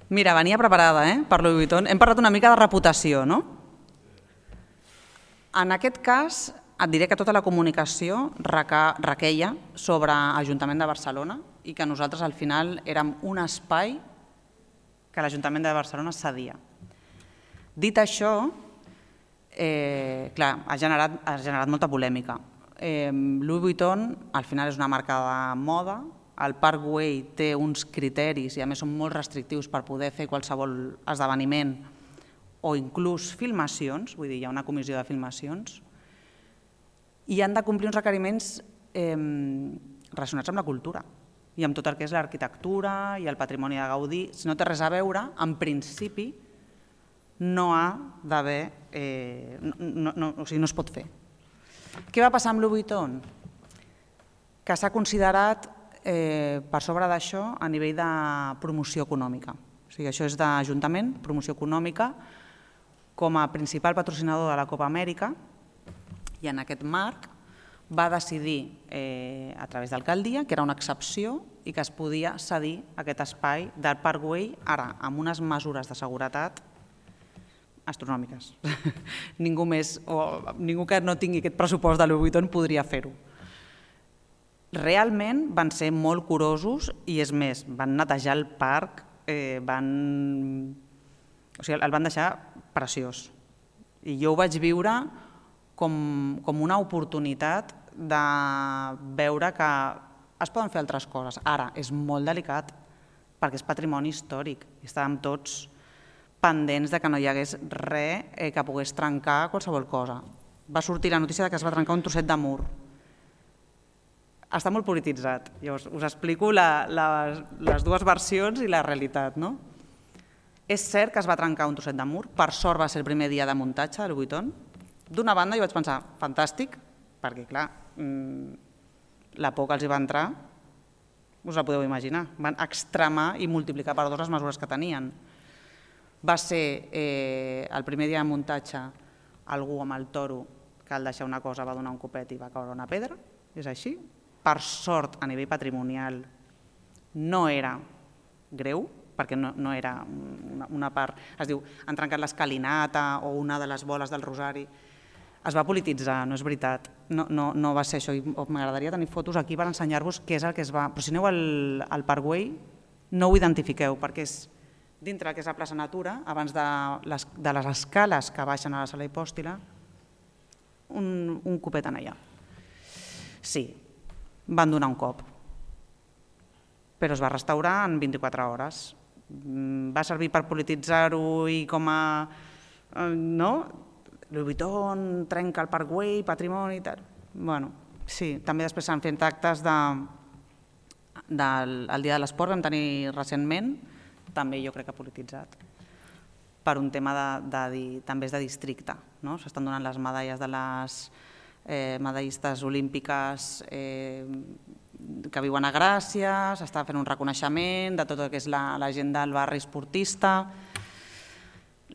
Mira, venia preparada per Louis Vuitton. Hem parlat una mica de reputació, no? En aquest cas, et diré que tota la comunicació requeia sobre l'Ajuntament de Barcelona i que nosaltres al final érem un espai que l'Ajuntament de Barcelona cedia. Dit això, clar, ha generat molta polèmica. Louis Vuitton al final és una marca de moda, el Parkway té uns criteris i a més són molt restrictius per poder fer qualsevol esdeveniment o inclús filmacions, vull dir, hi ha una comissió de filmacions, i han de complir uns requeriments relacionats amb la cultura i amb tot el que és l'arquitectura i el patrimoni de Gaudí. Si no té res a veure, en principi no ha d'haver, o sigui, no es pot fer. Què va passar amb Louis Vuitton? Que s'ha considerat per sobre d'això a nivell de promoció econòmica. O sigui, això és d'Ajuntament, promoció econòmica, com a principal patrocinador de la Copa Amèrica, i en aquest marc va decidir a través d'alcaldia que era una excepció i que es podia cedir aquest espai del Parkway, ara amb unes mesures de seguretat astronòmiques. Ningú que no tingui aquest pressupost de Louis Vuitton podria fer-ho. Realment van ser molt curosos i és més, van netejar el parc, el van deixar preciós. I jo ho vaig viure com una oportunitat de veure que es poden fer altres coses. Ara, és molt delicat perquè és patrimoni històric i estàvem tots pendents de que no hi hagués res que pogués trencar qualsevol cosa. Va sortir la notícia que es va trencar un trosset de mur. Està molt polititzat. Llavors, us explico les dues versions i la realitat. És cert que es va trencar un trosset de mur, per sort va ser el primer dia de muntatge del Vuitton. D'una banda jo vaig pensar, fantàstic, perquè clar, la por que els hi va entrar, us la podeu imaginar, van extremar i multiplicar per 2 les mesures que tenien. Va ser el primer dia de muntatge algú amb el toro que al deixar una cosa va donar un copet i va caure una pedra, és així. Per sort, a nivell patrimonial, no era greu, perquè no era una part, es diu, han trencat l'escalinata o una de les boles del rosari. Es va polititzar, no és veritat, no va ser això. M'agradaria tenir fotos aquí per ensenyar-vos què és el que es va... Però si aneu al Parkway, no ho identifiqueu, perquè és dintre que és la plaça Natura, abans de les escales que baixen a la sala hipòstila, un copet en allà. Sí, van donar un cop, però es va restaurar en 24 hores. Va servir per polititzar-ho i com a... Louis Vuitton trenca el Parkway, patrimoni i tal. Bueno, sí, també després s'han fet actes del Dia de l'Esport, vam tenir recentment, també jo crec que polititzat. per un tema també és de districte. S'estan donant les medalles de les medallistes olímpiques que viuen a Gràcia, s'està fent un reconeixement de tot el que és la gent del barri esportista.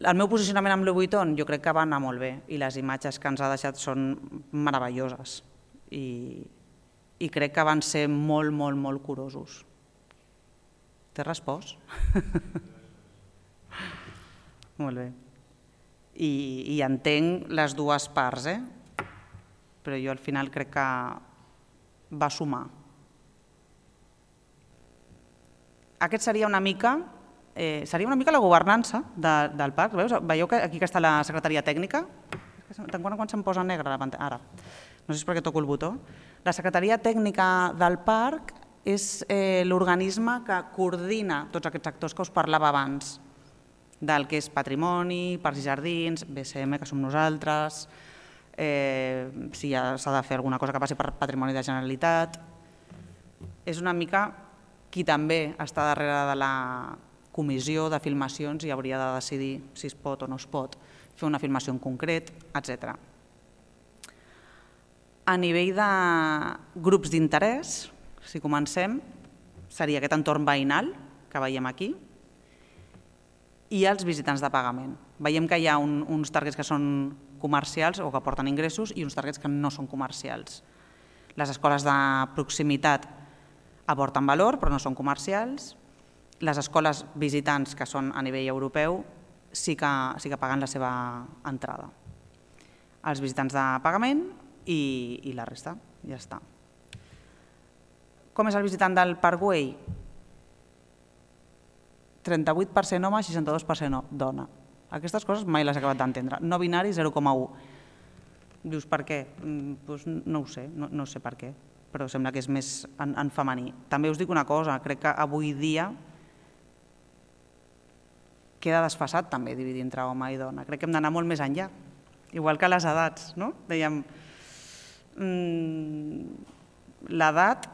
El meu posicionament amb Louis Vuitton jo crec que va anar molt bé i les imatges que ens ha deixat són meravelloses i crec que van ser molt, molt, molt curosos. T'he respost? Molt bé. I entenc les dues parts, però jo al final crec que va sumar. Aquest seria una mica la governança del parc. Veieu que aquí està la secretaria tècnica? Quan se'm posa negre la pantalla? Ara. No sé si és perquè toco el botó. La secretaria tècnica del parc és l'organisme que coordina tots aquests actors que us parlava abans, del que és patrimoni, parcs i jardins, BCM, que som nosaltres, si s'ha de fer alguna cosa que passi per patrimoni de Generalitat. És una mica qui també està darrere de la comissió de filmacions i hauria de decidir si es pot o no es pot fer una filmació en concret, etc. A nivell de grups d'interès, si comencem, seria aquest entorn veïnal que veiem aquí i els visitants de pagament. Veiem que hi ha uns targets que són comercials o que aporten ingressos i uns targets que no són comercials. Les escoles de proximitat aporten valor però no són comercials. Les escoles visitants que són a nivell europeu sí que paguen la seva entrada. Els visitants de pagament i la resta, ja està. Com és el visitant del Parc Güell? 38% home, 62% dona. Aquestes coses mai les he acabat d'entendre. No binari, 0,1. Dius, per què? No ho sé, no sé per què, però sembla que és més en femení. També us dic una cosa, crec que avui dia queda desfasat també dividir entre home i dona. Crec que hem d'anar molt més enllà, igual que les edats, no? Dèiem, l'edat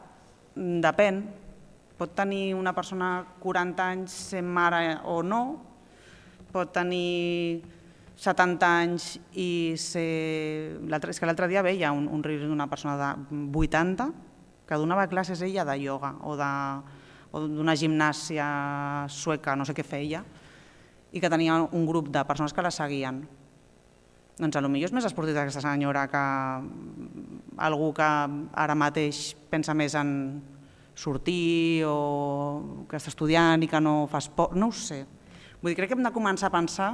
depèn. Pot tenir una persona 40 anys sent mare o no, pot tenir 70 anys i ser... És que l'altre dia veia un reel d'una persona de 80 que donava classes ella de ioga o d'una gimnàsia sueca, no sé què feia, i que tenia un grup de persones que la seguien. Doncs potser és més esportista aquesta senyora que algú que ara mateix pensa més en sortir o que està estudiant i que no fa esport, no ho sé. Vull dir, crec que hem de començar a pensar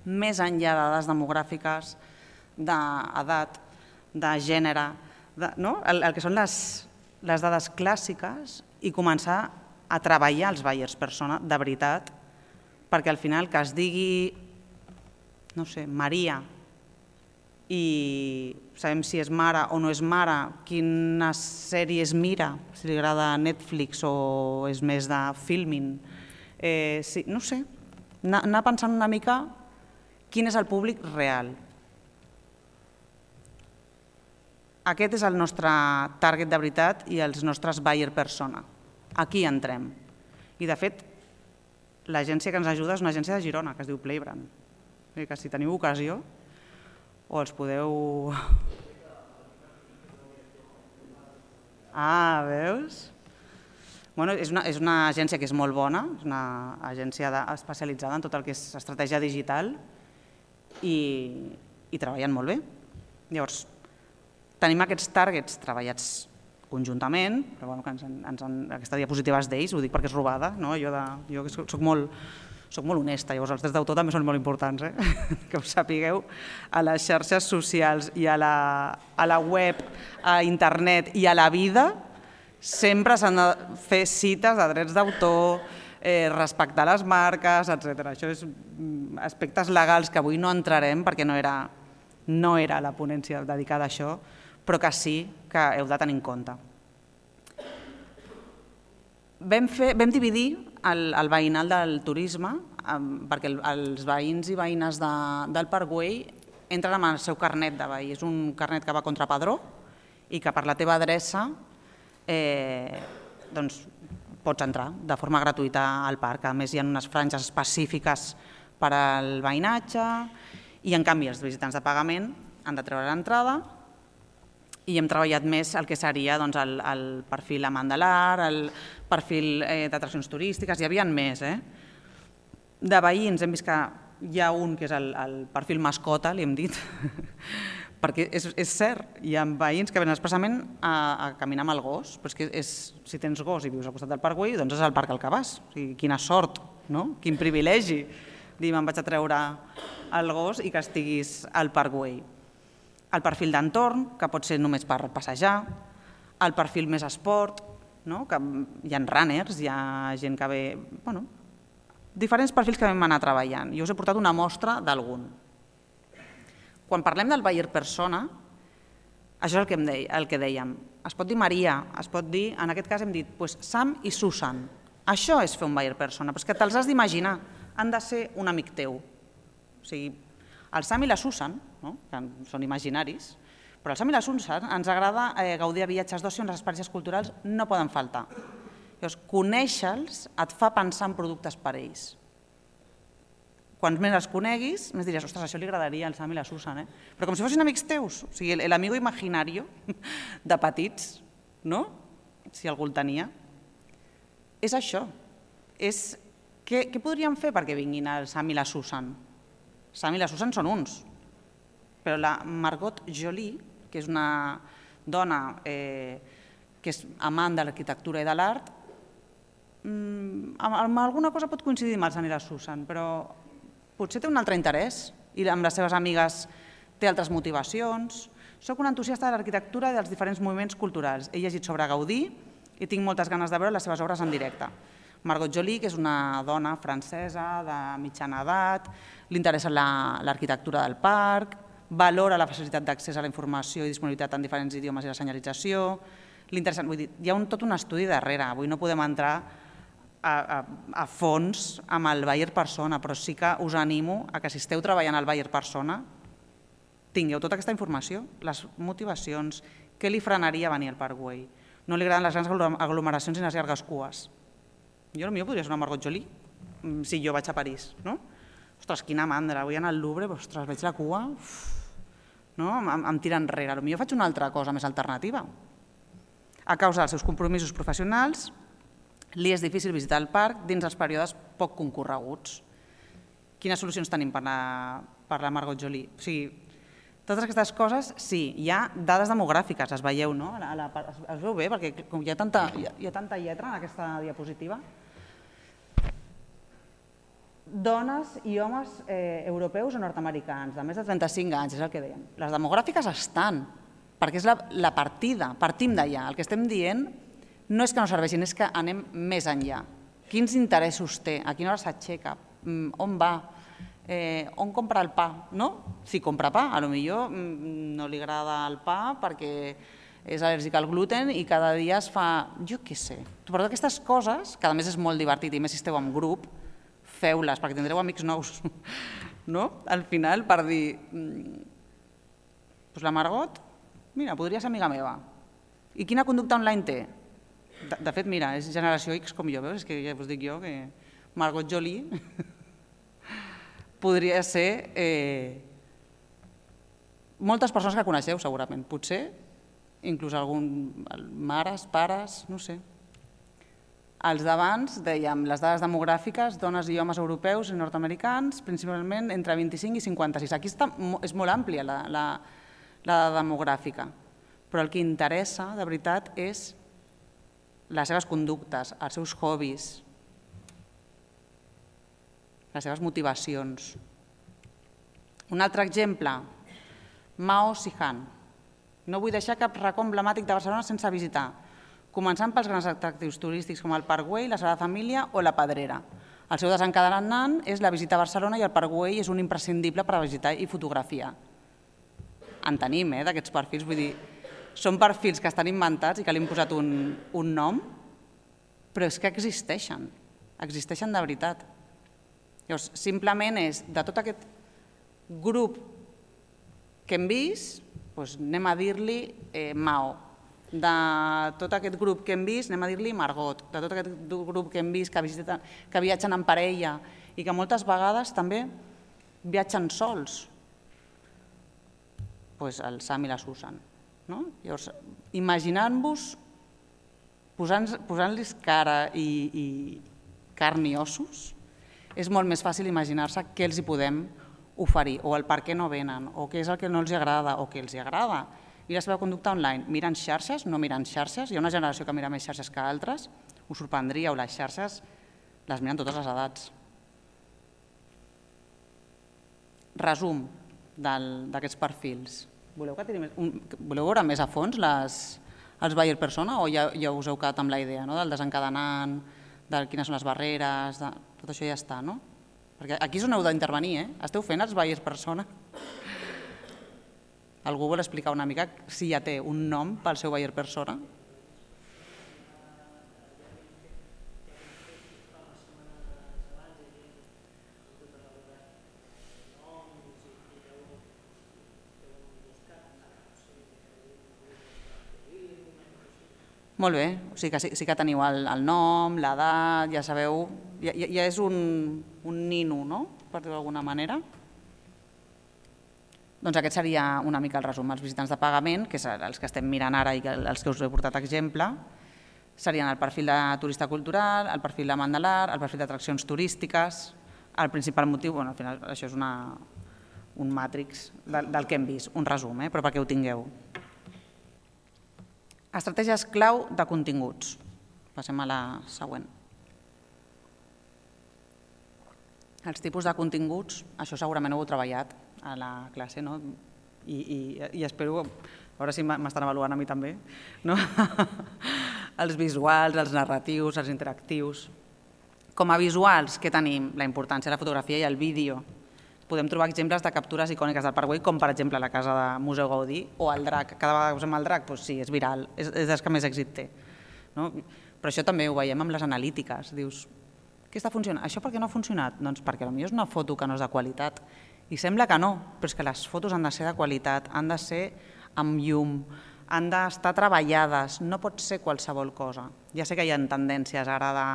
més enllà de dades demogràfiques, d'edat, de gènere, el que són les dades clàssiques i començar a treballar els buyers persona de veritat, perquè al final que es digui, no sé, Maria, i sabem si és mare o no és mare, quines sèries mira, si li agrada Netflix o és més de filming, no sé, anar pensant una mica quin és el públic real. Aquest és el nostre target de veritat i els nostres buyer persona. Aquí entrem. I de fet, l'agència que ens ajuda és una agència de Girona, que es diu Playbrand. Que si teniu ocasió, o els podeu... Ah, veus? És una agència que és molt bona, és una agència especialitzada en tot el que és estratègia digital i treballen molt bé. Llavors, tenim aquests targets treballats conjuntament, però aquesta diapositiva és d'ells, ho dic perquè és robada, jo soc molt honesta, llavors els drets d'autor també són molt importants, que ho sapigueu, a les xarxes socials i a la web, a internet i a la vida, sempre s'han de fer cites de drets d'autor, respectar les marques, etc. Això és aspectes legals que avui no entrarem perquè no era la ponència dedicada a això, però que sí que heu de tenir en compte. Vam dividir el veïnal del turisme perquè els veïns i veïnes del Parc Güell entren amb el seu carnet de veí. És un carnet que va contra padró i que per la teva adreça pots entrar de forma gratuïta al parc. A més, hi ha unes franges específiques per al veïnatge, i en canvi els visitants de pagament han de treure l'entrada, i hem treballat més el que seria el perfil amant de l'art, el perfil d'atraccions turístiques, hi havia més. De veïns hem vist que hi ha un que és el perfil mascota, li hem dit, perquè és cert, hi ha veïns que venen expressament a caminar amb el gos, però és que si tens gos i vius al costat del Parc Güell, doncs és al parc al que vas. O sigui, quina sort, quin privilegi, dir me'n vaig a treure el gos i que estiguis al Parc Güell. El perfil d'entorn, que pot ser només per passejar, el perfil més esport, que hi ha runners, hi ha gent que ve... Diferents perfils que vam anar treballant. Jo us he portat una mostra d'algun. Quan parlem del buyer persona, això és el que dèiem. Es pot dir Maria, es pot dir, en aquest cas hem dit Sam i Susan. Això és fer un buyer persona, però és que te'ls has d'imaginar, han de ser un amic teu. O sigui, el Sam i la Susan, que són imaginaris, però el Sam i la Susan ens agrada gaudir de viatges d'oci on les experiències culturals no poden faltar. Llavors, conèixer-los et fa pensar en productes per a ells. Quants més els coneguis, més diries, ostres, això li agradaria al Sam i la Susan, però com si fossin amics teus, o sigui, l'amigo imaginario de petits, no? Si algú el tenia. És això. Què podríem fer perquè vinguin el Sam i la Susan? Sam i la Susan són uns, però la Margot Joly, que és una dona que és amant de l'arquitectura i de l'art, amb alguna cosa pot coincidir amb el Sam i la Susan, però potser té un altre interès i amb les seves amigues té altres motivacions. Soc una entusiasta de l'arquitectura i dels diferents moviments culturals. He llegit sobre Gaudí i tinc moltes ganes de veure les seves obres en directe. Margot Joly, que és una dona francesa de mitjana edat, li interessa l'arquitectura del parc, valora la facilitat d'accés a la informació i disponibilitat en diferents idiomes i la senyalització. Hi ha tot un estudi darrere, avui no podem entrar a fons amb el buyer persona, però sí que us animo a que si esteu treballant al buyer persona tingueu tota aquesta informació, les motivacions, què li frenaria venir al Parc Güell. No li agraden les grans aglomeracions i les llargues cues. Jo potser podria ser una Margot Joly si jo vaig a París, no? Ostres, quina mandra, vull anar al Louvre, ostres, veig la cua, em tira enrere. Potser faig una altra cosa més alternativa. A causa dels seus compromisos professionals, li és difícil visitar el parc dins els períodes poc concorreguts. Quines solucions tenim per la Margot Joly? O sigui, totes aquestes coses, sí, hi ha dades demogràfiques, es veieu, no? Es veu bé, perquè hi ha tanta lletra en aquesta diapositiva. Dones i homes europeus o nord-americans de més de 35 anys, és el que dèiem. Les demogràfiques estan, perquè és la partida, partim d'allà. El que estem dient no és que no serveixin, és que anem més enllà. Quins interessos té? A quina hora s'aixeca? On va? On compra el pa? Si compra pa, potser no li agrada el pa perquè és al·lèrgic al gluten i cada dia es fa, jo què sé. Però aquestes coses, que a més és molt divertit i més si esteu en grup, feu-les perquè tindreu amics nous. Al final, per dir, la Margot, mira, podria ser amiga meva. I quina conducta online té? De fet, mira, és generació X com jo, veus? És que ja us dic jo que Margot Joly podria ser moltes persones que coneixeu, segurament. Potser, inclús mares, pares, no sé. Els d'abans, dèiem, les dades demogràfiques, dones i homes europeus i nord-americans, principalment entre 25 i 56. Aquí és molt àmplia la demogràfica, però el que interessa, de veritat, és les seves conductes, els seus hobbies, les seves motivacions. Un altre exemple, Mao Sihan. No vull deixar cap racó emblemàtic de Barcelona sense visitar, començant pels grans atractius turístics com el Parc Güell, la Sagrada Família o la Pedrera. El seu desencadenant és la visita a Barcelona i el Parc Güell és un imprescindible per a visitar i fotografiar. En tenim, d'aquests perfils, vull dir, són perfils que estan inventats i que li hem posat un nom, però és que existeixen de veritat. Llavors, simplement és, de tot aquest grup que hem vist, anem a dir-li Mao. De tot aquest grup que hem vist, anem a dir-li Margot. De tot aquest grup que hem vist que viatgen en parella i que moltes vegades també viatgen sols, el Sam i la Susan. Llavors, imaginant-vos, posant-los cara i carn i ossos, és molt més fàcil imaginar-se què els hi podem oferir, o el per què no venen, o què és el que no els agrada, o què els agrada. I la seva conducta online, miren xarxes, no miren xarxes, hi ha una generació que mira més xarxes que altres, us sorprendríeu, les xarxes les miren totes les edats. Resum d'aquests perfils. Voleu veure més a fons els buyer persona o ja us heu quedat amb la idea del desencadenant, de quines són les barreres, tot això ja està, no? Perquè aquí és on heu d'intervenir, Esteu fent els buyers persona? Algú vol explicar una mica si ja té un nom pel seu buyer persona? Molt bé, o sigui que sí que teniu el nom, l'edat, ja sabeu, ja és un nino, no?, per dir-ho d'alguna manera. Doncs aquest seria una mica el resum. Els visitants de pagament, que és els que estem mirant ara i els que us he portat exemple, serien el perfil de turista cultural, el perfil d'amant de l'art, el perfil d'atraccions turístiques. El principal motiu, al final això és un màtrix del que hem vist, un resum, però perquè ho tingueu. Estratègies clau de continguts. Passem a la següent. Els tipus de continguts, això segurament ho heu treballat a la classe, no? I espero, a veure si m'estan avaluant a mi també, no? Els visuals, els narratius, els interactius. Com a visuals, què tenim? La importància de la fotografia i el vídeo. Podem trobar exemples de captures icòniques del Parc Güell, com per exemple la casa de Museu Gaudí o el drac. Cada vegada que usem el drac, doncs sí, és viral, és dels que més èxit té. Però això també ho veiem amb les analítiques. Dius, què està funcionant? Això per què no ha funcionat? Doncs perquè potser és una foto que no és de qualitat. I sembla que no, però és que les fotos han de ser de qualitat, han de ser amb llum, han d'estar treballades, no pot ser qualsevol cosa. Ja sé que hi ha tendències ara de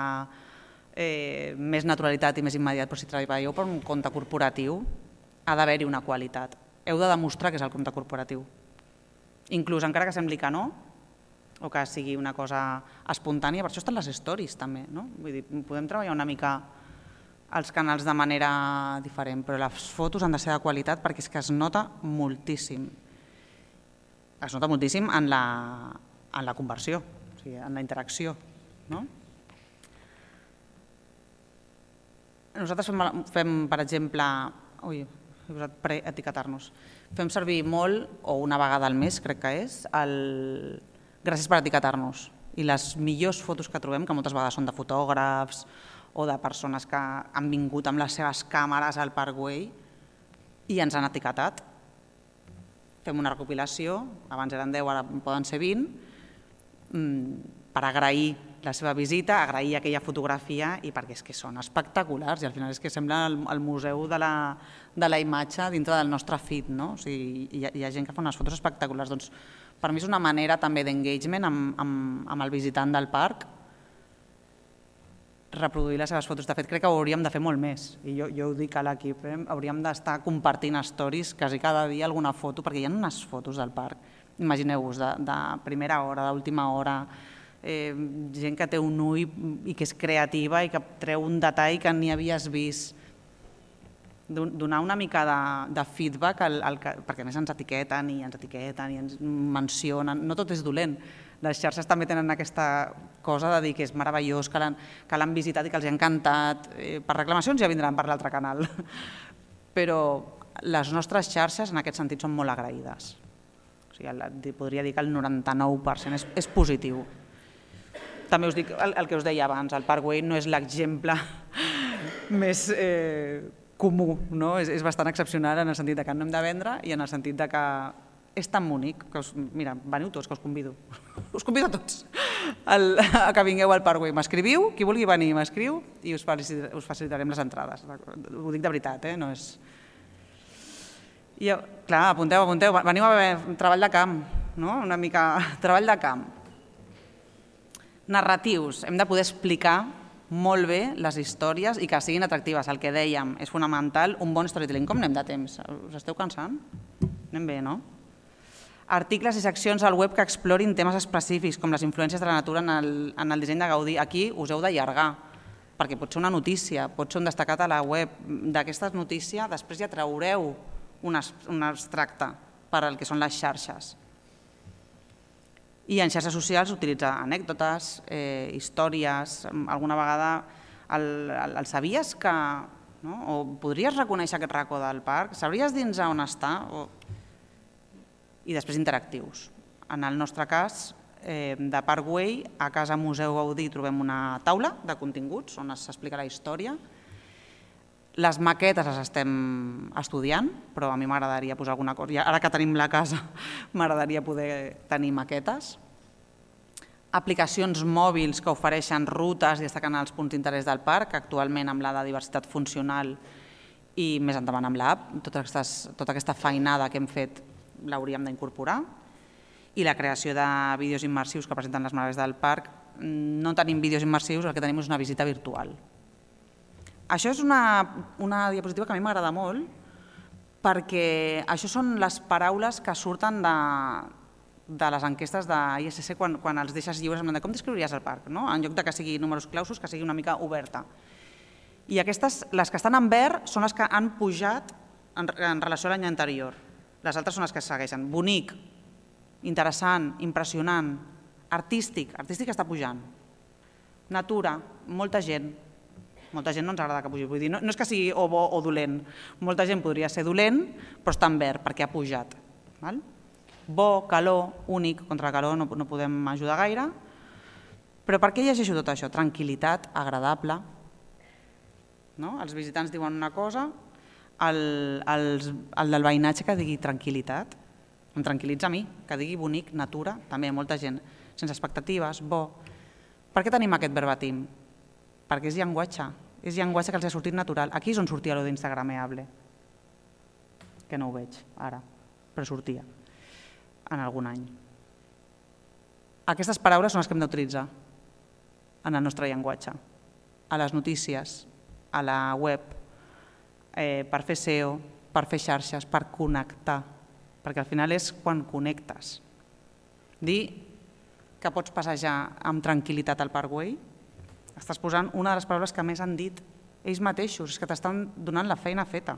més naturalitat i més immediat, però si treballeu per un compte corporatiu ha d'haver-hi una qualitat. Heu de demostrar que és el compte corporatiu. Inclús encara que sembli que no, o que sigui una cosa espontània, per això estan les stories també, no? Vull dir, podem treballar una mica els canals de manera diferent, però les fotos han de ser de qualitat perquè és que es nota moltíssim. Es nota moltíssim en la conversió, o sigui, en la interacció, no? Nosaltres fem, per exemple, he posat preetiquetar-nos, fem servir molt, o una vegada al mes crec que és, el gràcies per etiquetar-nos. I les millors fotos que trobem, que moltes vegades són de fotògrafs o de persones que han vingut amb les seves càmeres al Parc Güell i ens han etiquetat. Fem una recopilació, abans eren 10, ara poden ser 20, per agrair la seva visita, agrair aquella fotografia i perquè és que són espectaculars i al final és que sembla el museu de la imatge dintre del nostre feed, no? O sigui, hi ha gent que fa unes fotos espectaculars. Doncs per mi és una manera també d'engagement amb el visitant del parc, reproduir les seves fotos. De fet, crec que ho hauríem de fer molt més i jo ho dic a l'equip, hauríem d'estar compartint stories quasi cada dia alguna foto, perquè hi ha unes fotos del parc, imagineu-vos, de primera hora, d'última hora, gent que té un ull i que és creativa i que treu un detall que ni havies vist. Donar una mica de feedback, perquè a més ens etiqueten i ens mencionen, no tot és dolent. Les xarxes també tenen aquesta cosa de dir que és meravellós, que l'han visitat i que els ha encantat. Per reclamacions ja vindran per l'altre canal. Però les nostres xarxes en aquest sentit són molt agraïdes. O sigui, podria dir que el 99% és positiu. També us dic el que us deia abans, el Parc Güell no és l'exemple més comú, no? És bastant excepcional en el sentit que no hem de vendre i en el sentit que és tan bonic que, mira, veniu tots, que us convido. Us convido a tots a que vingueu al Parc Güell. M'escriviu, qui vulgui venir m'escriu i us facilitarem les entrades. Ho dic de veritat, no és... Clar, apunteu, veniu a veure treball de camp, no? Una mica treball de camp. Narratius, hem de poder explicar molt bé les històries i que siguin atractives. El que dèiem, és fonamental un bon storytelling. Com anem de temps? Us esteu cansant? Anem bé, no? Articles i seccions al web que explorin temes específics, com les influències de la natura en el disseny de Gaudí. Aquí us heu d'allargar, perquè pot ser una notícia, pot ser un destacat a la web. D'aquesta notícia després ja traureu un extracte per al que són les xarxes. I en xarxes socials utilitzar anècdotes, històries, alguna vegada el sabies que... o podries reconèixer aquest racó del parc? Sabries dins on està? I després interactius. En el nostre cas, de Parkway, a Casa Museu Gaudí trobem una taula de continguts on s'explica la història. Les maquetes les estem estudiant, però a mi m'agradaria posar alguna cosa. Ara que tenim la casa, m'agradaria poder tenir maquetes. Aplicacions mòbils que ofereixen rutes i destaquen els punts d'interès del parc, actualment amb la de diversitat funcional i més endavant amb l'app. Tota aquesta feinada que hem fet l'hauríem d'incorporar. I la creació de vídeos immersius que presenten les meravelles del parc. No tenim vídeos immersius, el que tenim és una visita virtual. Això és una diapositiva que a mi m'agrada molt perquè això són les paraules que surten de les enquestes d'ISC quan els deixes lliures de com descriuries el parc, en lloc que sigui números clausos, que sigui una mica oberta. I aquestes, les que estan en verd, són les que han pujat en relació a l'any anterior. Les altres són les que segueixen. Bonic, interessant, impressionant, artístic està pujant. Natura, molta gent. Molta gent no ens agrada que pugi. Vull dir, no és que sigui o bo o dolent. Molta gent podria ser dolent, però està en verd perquè ha pujat. Bo, calor, únic, contra la calor no podem ajudar gaire. Però per què llegeixo tot això? Tranquil·litat, agradable. Els visitants diuen una cosa, el del veïnatge que digui tranquil·litat, em tranquil·litza a mi, que digui bonic, natura, també molta gent, sense expectatives, bo. Per què tenim aquest verbatim? Perquè és llenguatge que els ha sortit natural. Aquí és on sortia allò d'instagrameable, que no ho veig ara, però sortia en algun any. Aquestes paraules són les que hem d'utilitzar en el nostre llenguatge, a les notícies, a la web, per fer SEO, per fer xarxes, per connectar, perquè al final és quan connectes. Dir que pots passejar amb tranquil·litat al Parkway, estàs posant una de les paraules que més han dit ells mateixos, és que t'estan donant la feina feta.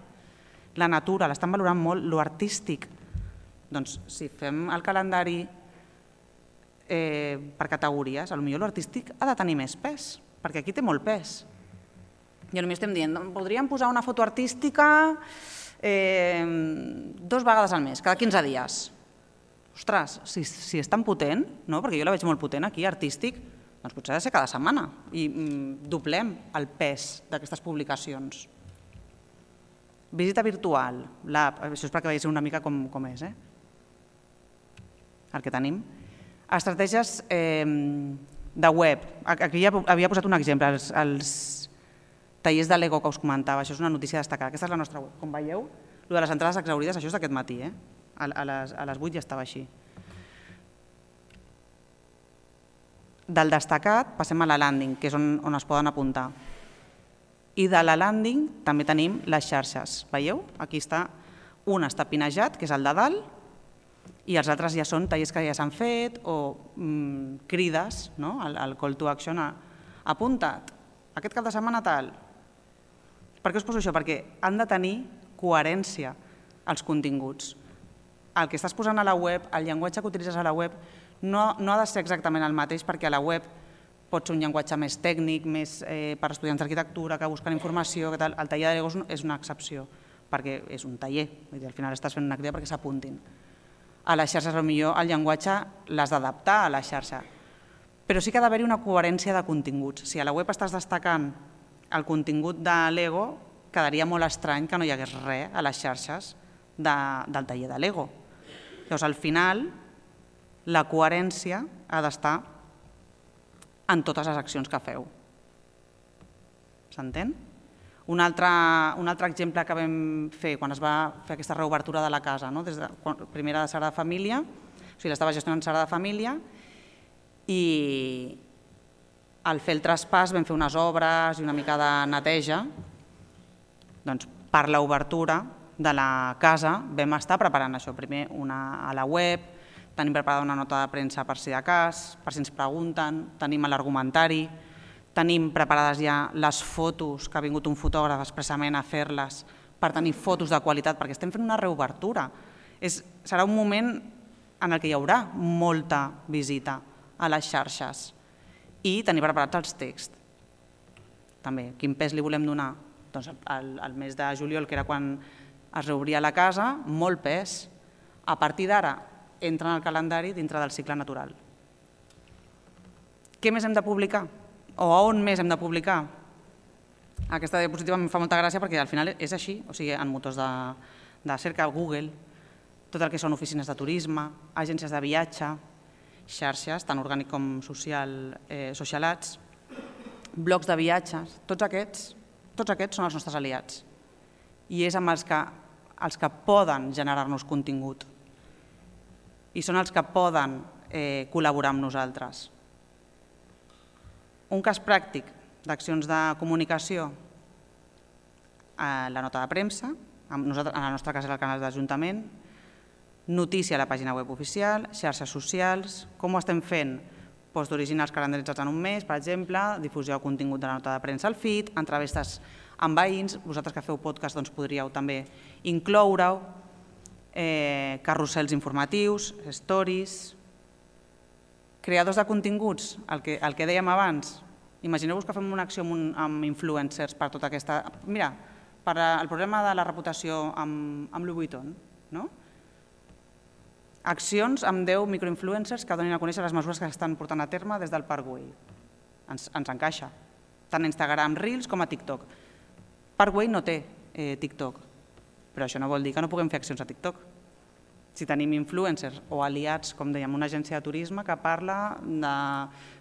La natura, l'estan valorant molt, lo artístic. Doncs si fem el calendari per categories, potser l'artístic ha de tenir més pes, perquè aquí té molt pes. I potser estem dient, podríem posar una foto artística 2 vegades al mes, cada 15 dies. Ostres, si és tan potent, perquè jo la veig molt potent aquí, artístic, doncs potser ha de ser cada setmana i doblem el pes d'aquestes publicacions. Visita virtual, l'app, això és perquè veieu una mica com és, el que tenim. Estratègies de web, aquí ja havia posat un exemple, els tallers de Lego que us comentava, això és una notícia destacada, aquesta és la nostra web, com veieu, el de les entrades exhaurides, això és d'aquest matí, a les 8 ja estava així. Del destacat passem a la landing, que és on es poden apuntar. I de la landing també tenim les xarxes. Veieu? Aquí està, un està pinejat, que és el de dalt, i els altres ja són tallers que ja s'han fet o crides, el call to action, apunta't, aquest cap de setmana tal. Per què us poso això? Perquè han de tenir coherència els continguts. El que estàs posant a la web, el llenguatge que utilitzes a la web, no ha de ser exactament el mateix perquè a la web pot ser un llenguatge més tècnic, més per estudiants d'arquitectura que busquen informació, que tal. El taller de Lego és una excepció perquè és un taller, al final estàs fent una activitat perquè s'apuntin. A les xarxes potser el llenguatge l'has d'adaptar a la xarxa, però sí que ha d'haver-hi una coherència de continguts. Si a la web estàs destacant el contingut de Lego, quedaria molt estrany que no hi hagués res a les xarxes del taller de Lego. Llavors, al final, la coherència ha d'estar en totes les accions que feu. S'entén? Un altre exemple que vam fer quan es va fer aquesta reobertura de la casa, primera de Sagrada Família, o sigui, l'estava gestionant Sagrada Família, i al fer el traspàs vam fer unes obres i una mica de neteja. Doncs per l'obertura de la casa vam estar preparant això. Primer a la web, tenim preparada una nota de premsa per si de cas, per si ens pregunten, tenim l'argumentari, tenim preparades ja les fotos que ha vingut un fotògraf expressament a fer-les per tenir fotos de qualitat, perquè estem fent una reobertura. Serà un moment en el que hi haurà molta visita a les xarxes i tenir preparats els texts. També, quin pes li volem donar? Doncs el mes de juliol, que era quan es reobria la casa, molt pes. A partir d'ara, entra en el calendari dintre del cicle natural. Què més hem de publicar? O a on més hem de publicar? Aquesta diapositiva em fa molta gràcia perquè al final és així, o sigui, en motors de cerca, Google, tot el que són oficines de turisme, agències de viatge, xarxes, tant orgànic com socialats, blocs de viatges, tots aquests són els nostres aliats. I és amb els que poden generar-nos contingut i són els que poden col·laborar amb nosaltres. Un cas pràctic d'accions de comunicació, la nota de premsa, en la nostra casa és el canal d'Ajuntament, notícia a la pàgina web oficial, xarxes socials, com ho estem fent? Post originals calendaritzats en un mes, per exemple, difusió de contingut de la nota de premsa al feed, entrevistes amb veïns, vosaltres que feu podcast podríeu també incloure-ho, carrusels informatius, stories, creadors de continguts, el que dèiem abans. Imagineu-vos que fem una acció amb influencers per tota aquesta... Mira, per el problema de la reputació amb Louis Vuitton, no? Accions amb 10 microinfluencers que donin a conèixer les mesures que s'estan portant a terme des del Parc Güell. Ens encaixa, tant a Instagram Reels com a TikTok. Parc Güell no té TikTok, però això no vol dir que no puguem fer accions a TikTok. Si tenim influencers o aliats, com dèiem, una agència de turisme que parla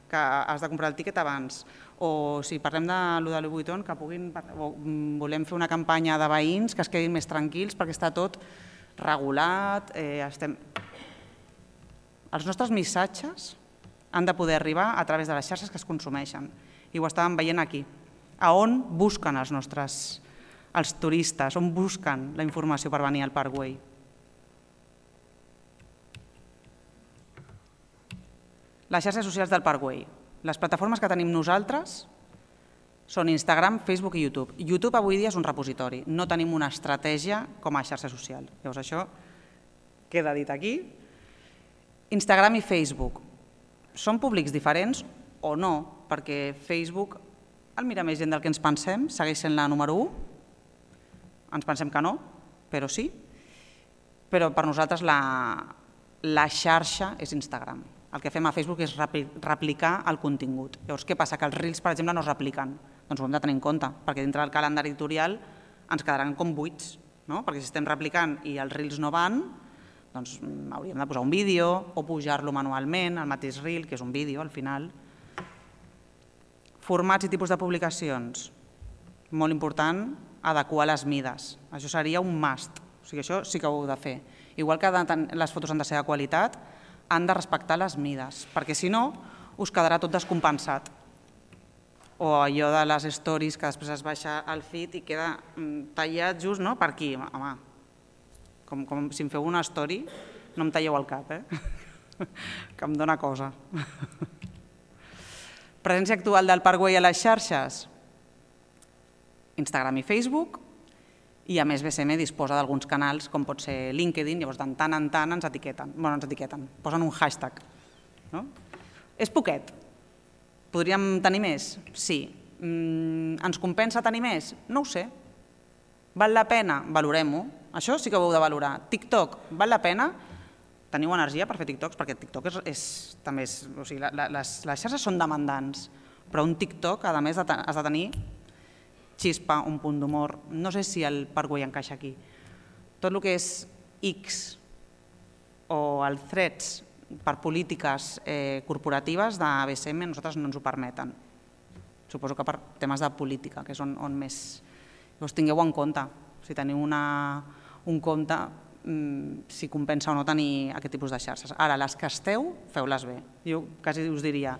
que has de comprar el tíquet abans, o si parlem de Louis Vuitton, que volem fer una campanya de veïns que es quedin més tranquils perquè està tot regulat. Els nostres missatges han de poder arribar a través de les xarxes que es consumeixen. I ho estàvem veient aquí. A on busquen els turistes, on busquen la informació per venir al Parc Güell. Les xarxes socials del Parc Güell. Les plataformes que tenim nosaltres són Instagram, Facebook i YouTube. YouTube avui dia és un repositori, no tenim una estratègia com a xarxa social. Llavors això queda dit aquí. Instagram i Facebook són públics diferents o no? Perquè Facebook el mira més gent del que ens pensem, segueix sent la número 1. Ens pensem que no, però sí. Però per nosaltres la xarxa és Instagram. El que fem a Facebook és replicar el contingut. Llavors, què passa? Que els Reels, per exemple, no es repliquen. Doncs ho hem de tenir en compte, perquè dintre del calendari editorial ens quedaran com buits, perquè si estem replicant i els Reels no van, doncs hauríem de posar un vídeo o pujar-lo manualment, el mateix Reel, que és un vídeo al final. Formats i tipus de publicacions. Molt important, adequar les mides. Això seria un must, o sigui, això sí que ho heu de fer. Igual que les fotos han de ser de qualitat, han de respectar les mides, perquè si no us quedarà tot descompensat. O allò de les stories que després es baixa al feed i queda tallat just per aquí. Home, com si em feu una story, no em talleu el cap, que em dóna cosa. Presència actual del Parc Güell a les xarxes? Instagram i Facebook, i a més BCM disposa d'alguns canals com pot ser LinkedIn, llavors de tant en tant ens etiqueten, posen un hashtag. És poquet. Podríem tenir més? Sí. Ens compensa tenir més? No ho sé. Val la pena? Valorem-ho. Això sí que ho heu de valorar. TikTok, val la pena? Teniu energia per fer TikToks? Perquè TikTok també és... O sigui, les xarxes són demandants, però un TikTok, a més, has de tenir xispa, un punt d'humor. No sé si el Parc Güell encaixa aquí. Tot el que és X o el Threads per polítiques corporatives de BCM a nosaltres no ens ho permeten. Suposo que per temes de política, que és on més... Llavors tingueu en compte, si teniu un compte, si compensa o no tenir aquest tipus de xarxes. Ara, les que esteu, feu-les bé. Jo quasi us diria,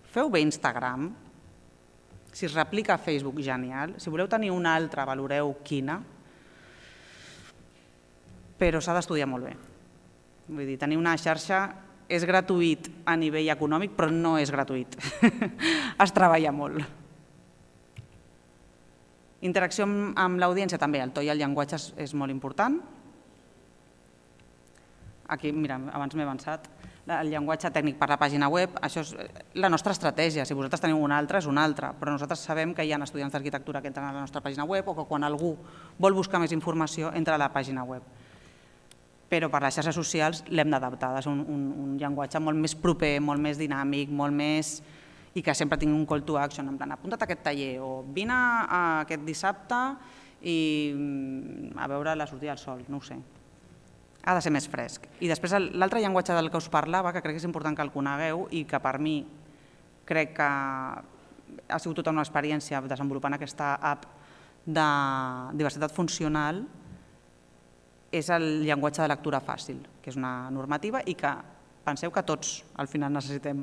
feu bé Instagram, Si es replica a Facebook, genial. Si voleu tenir una altra, valoreu quina, però s'ha d'estudiar molt bé. Vull dir, tenir una xarxa és gratuït a nivell econòmic, però no és gratuït. Es treballa molt. Interacció amb l'audiència també, el to i el llenguatge és molt important. Aquí, mira, abans m'he avançat. El llenguatge tècnic per la pàgina web, això és la nostra estratègia. Si vosaltres teniu una altra, és una altra, però nosaltres sabem que hi ha estudiants d'arquitectura que entren a la nostra pàgina web o que quan algú vol buscar més informació entra a la pàgina web. Però per les xarxes socials l'hem d'adaptar, és un llenguatge molt més proper, molt més dinàmic, molt més... i que sempre tingui un call to action, en plan, apunta't a aquest taller o vine aquest dissabte i a veure la sortida del sol, no ho sé. Ha de ser més fresc. I després l'altre llenguatge del que us parlava, que crec que és important que el conegueu i que per mi crec que ha sigut tota una experiència desenvolupant aquesta app de diversitat funcional, és el llenguatge de lectura fàcil, que és una normativa i que penseu que tots al final necessitem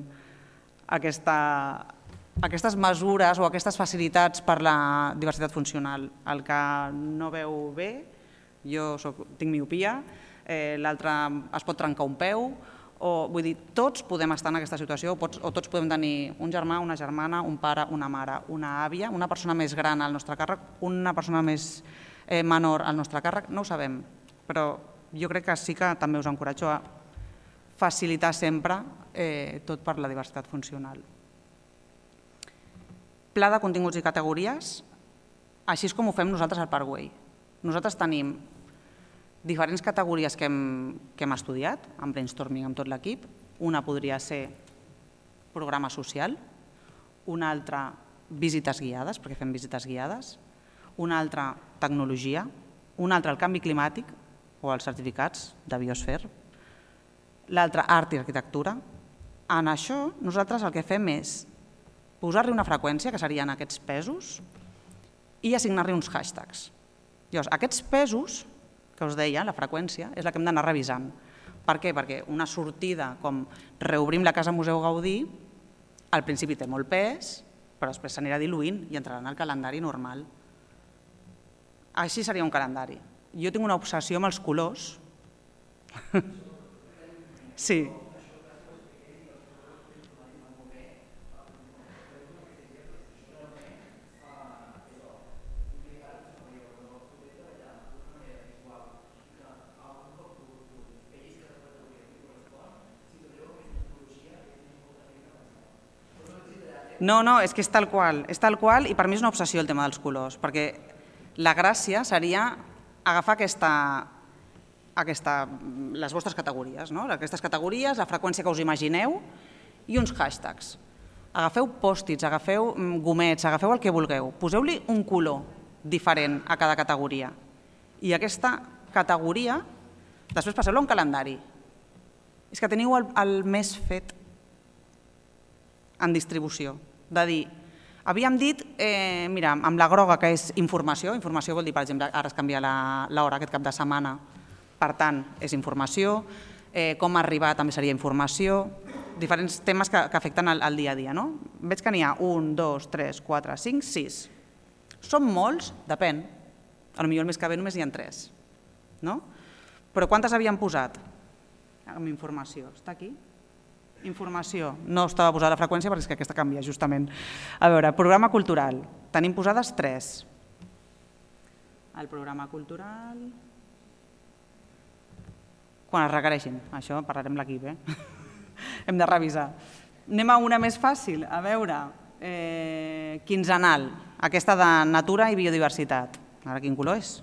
aquestes mesures o aquestes facilitats per la diversitat funcional. El que no veu bé, jo tinc miopia, l'altre es pot trencar un peu, vull dir, tots podem estar en aquesta situació o tots podem tenir un germà, una germana, un pare, una mare, una àvia, una persona més gran al nostre càrrec, una persona més menor al nostre càrrec, no ho sabem, però jo crec que sí que també us encoratjo a facilitar sempre tot per la diversitat funcional. Pla de continguts i categories, així és com ho fem nosaltres al Parkway. Nosaltres tenim diferents categories que hem estudiat, amb brainstorming amb tot l'equip. Una podria ser programa social, una altra visites guiades, perquè fem visites guiades, una altra tecnologia, una altra el canvi climàtic o els certificats de Biosfer, l'altra art i arquitectura. En això nosaltres el que fem és posar-li una freqüència, que serien aquests pesos, i assignar-li uns hashtags. Llavors, aquests pesos, que us deia, la freqüència, és la que hem d'anar revisant. Per què? Perquè una sortida com reobrim la Casa Museu Gaudí, al principi té molt pes, però després s'anirà diluint i entrarà en el calendari normal. Així seria un calendari. Jo tinc una obsessió amb els colors. Sí. No, és que és tal qual i per mi és una obsessió el tema dels colors, perquè la gràcia seria agafar les vostres categories, aquestes categories, la freqüència que us imagineu i uns hashtags. Agafeu pòstits, agafeu gomets, agafeu el que vulgueu, poseu-li un color diferent a cada categoria i aquesta categoria després passeu-la a un calendari. És que teniu el més fet en distribució, de dir, havíem dit, mira, amb la groga que és informació vol dir, per exemple, ara es canvia l'hora aquest cap de setmana, per tant, és informació, com arribar també seria informació, diferents temes que afecten el dia a dia, no? Veig que n'hi ha 1, 2, 3, 4, 5, 6. Són molts? Depèn. Potser el mes que ve només hi ha 3, no? Però quantes havíem posat? Amb informació, està aquí? Informació, no estava posada la freqüència perquè és que aquesta canvia justament. A veure, programa cultural, tenim posades 3. El programa cultural... Quan es requereixin, això parlarem l'equip, hem de revisar. Anem a una més fàcil, a veure, quinzenal, aquesta de natura i biodiversitat. Ara quin color és?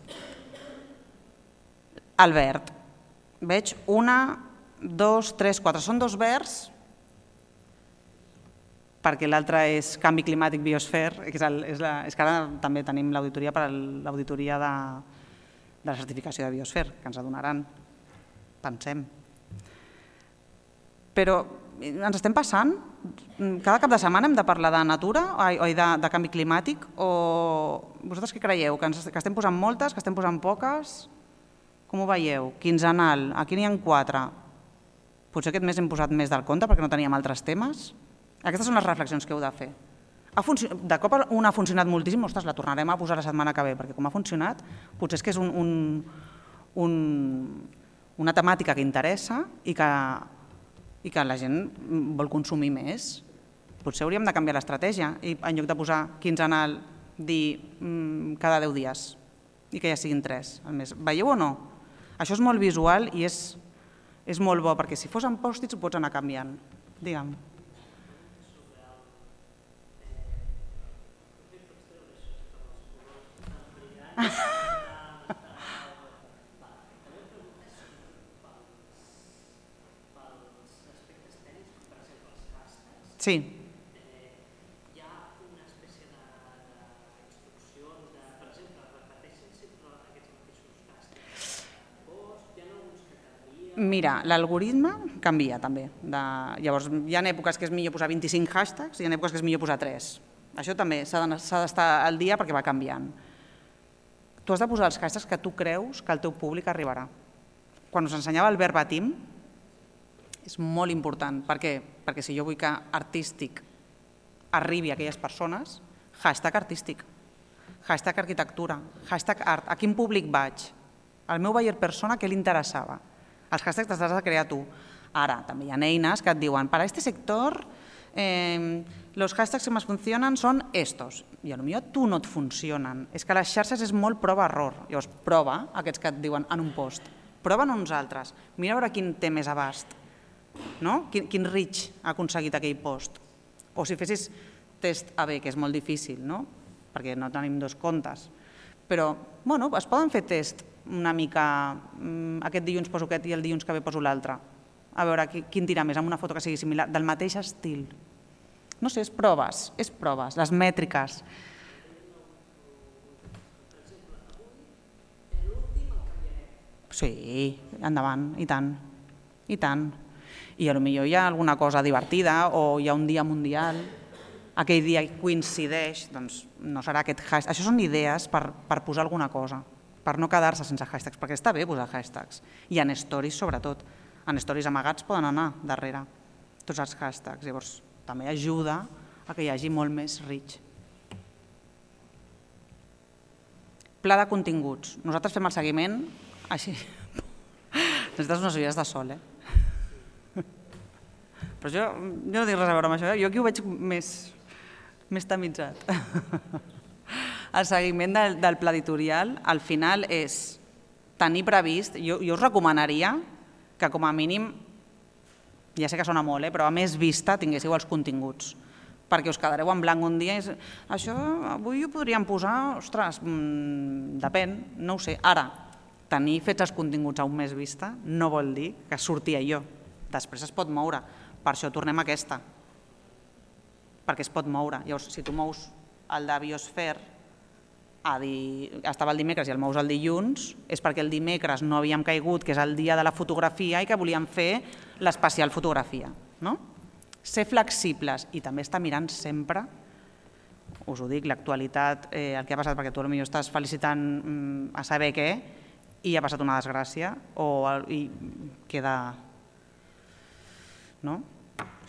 El verd. Veig 1, 2, 3, 4. Són 2 verds, perquè l'altre és canvi climàtic biosfer, és que ara també tenim l'auditoria per a l'auditoria de la certificació de biosfer, que ens adonaran, pensem. Però ens estem passant? Cada cap de setmana hem de parlar de natura o de canvi climàtic? O vosaltres què creieu? Que estem posant moltes, que estem posant poques? Com ho veieu? Quinzenal, aquí n'hi ha 4. Potser aquest mes hem posat més del compte perquè no teníem altres temes? Aquestes són les reflexions que heu de fer. De cop una ha funcionat moltíssim, ostres, la tornarem a posar la setmana que ve, perquè com ha funcionat, potser és que és una temàtica que interessa i que la gent vol consumir més. Potser hauríem de canviar l'estratègia i en lloc de posar quinzenal, dir cada 10 dies i que ja siguin 3 al mes. Veieu o no? Això és molt visual i és molt bo, perquè si fos en pòstits ho pots anar canviant. Digue'm. Sí. Hi ha una espècie d'instruccions, per exemple, repeteixen sempre aquests mateixos hashtags. Hi ha alguns que canvien? Mira, l'algoritme canvia també. Llavors, hi ha èpoques que és millor posar 25 hashtags i hi ha èpoques que és millor posar 3. Això també s'ha d'estar al dia perquè va canviant. Tu has de posar els hashtags que tu creus que el teu públic arribarà. Quan us ensenyava el verbatim, és molt important. Per què? Perquè si jo vull que artístic arribi a aquelles persones, hashtag artístic, hashtag arquitectura, hashtag art. A quin públic vaig? Al meu buyer persona, què li interessava? Els hashtags t'has de crear tu. Ara, també hi ha eines que et diuen para este sector los hashtags que más funcionan son estos. I potser a tu no et funcionen. És que les xarxes és molt prova-error. Llavors, prova aquests que et diuen en un post. Prova en uns altres. Mira a veure quin té més abast. Quin reach ha aconseguit aquell post. O si fessis test AB, que és molt difícil, perquè no tenim 2 comptes. Però es poden fer test una mica, aquest dilluns poso aquest i el dilluns que ve poso l'altre. A veure quin tira més, amb una foto que sigui similar, del mateix estil. No sé, és proves, les mètriques. Sí, endavant, i tant, i tant. I potser hi ha alguna cosa divertida o hi ha un dia mundial, aquell dia coincideix, doncs no serà aquest hashtag. Això són idees per posar alguna cosa, per no quedar-se sense hashtags, perquè està bé posar hashtags. I en stories sobretot. En stories amagats poden anar darrere tots els hashtags. Llavors també ajuda a que hi hagi molt més reach. Pla de continguts. Nosaltres fem el seguiment així. Necessites unes ulleres de sol, Però jo no tinc res a veure amb això, jo aquí ho veig més tamitzat. El seguiment del pla editorial, al final, és tenir previst, jo us recomanaria que com a mínim, ja sé que sona molt, però a més vista tinguéssiu els continguts, perquè us quedareu en blanc un dia i això avui ho podríem posar, ostres, depèn, no ho sé. Ara, tenir fets els continguts a un mes vista no vol dir que surti allò, després es pot moure. Per això tornem a aquesta, perquè es pot moure. Llavors, si tu mous el de Biosphere, estava el dimecres i el mous el dilluns, és perquè el dimecres no havíem caigut, que és el dia de la fotografia, i que volíem fer l'especial fotografia. Ser flexibles i també estar mirant sempre, us ho dic, l'actualitat, el que ha passat, perquè tu potser estàs felicitant a saber què, i ha passat una desgràcia, i queda... O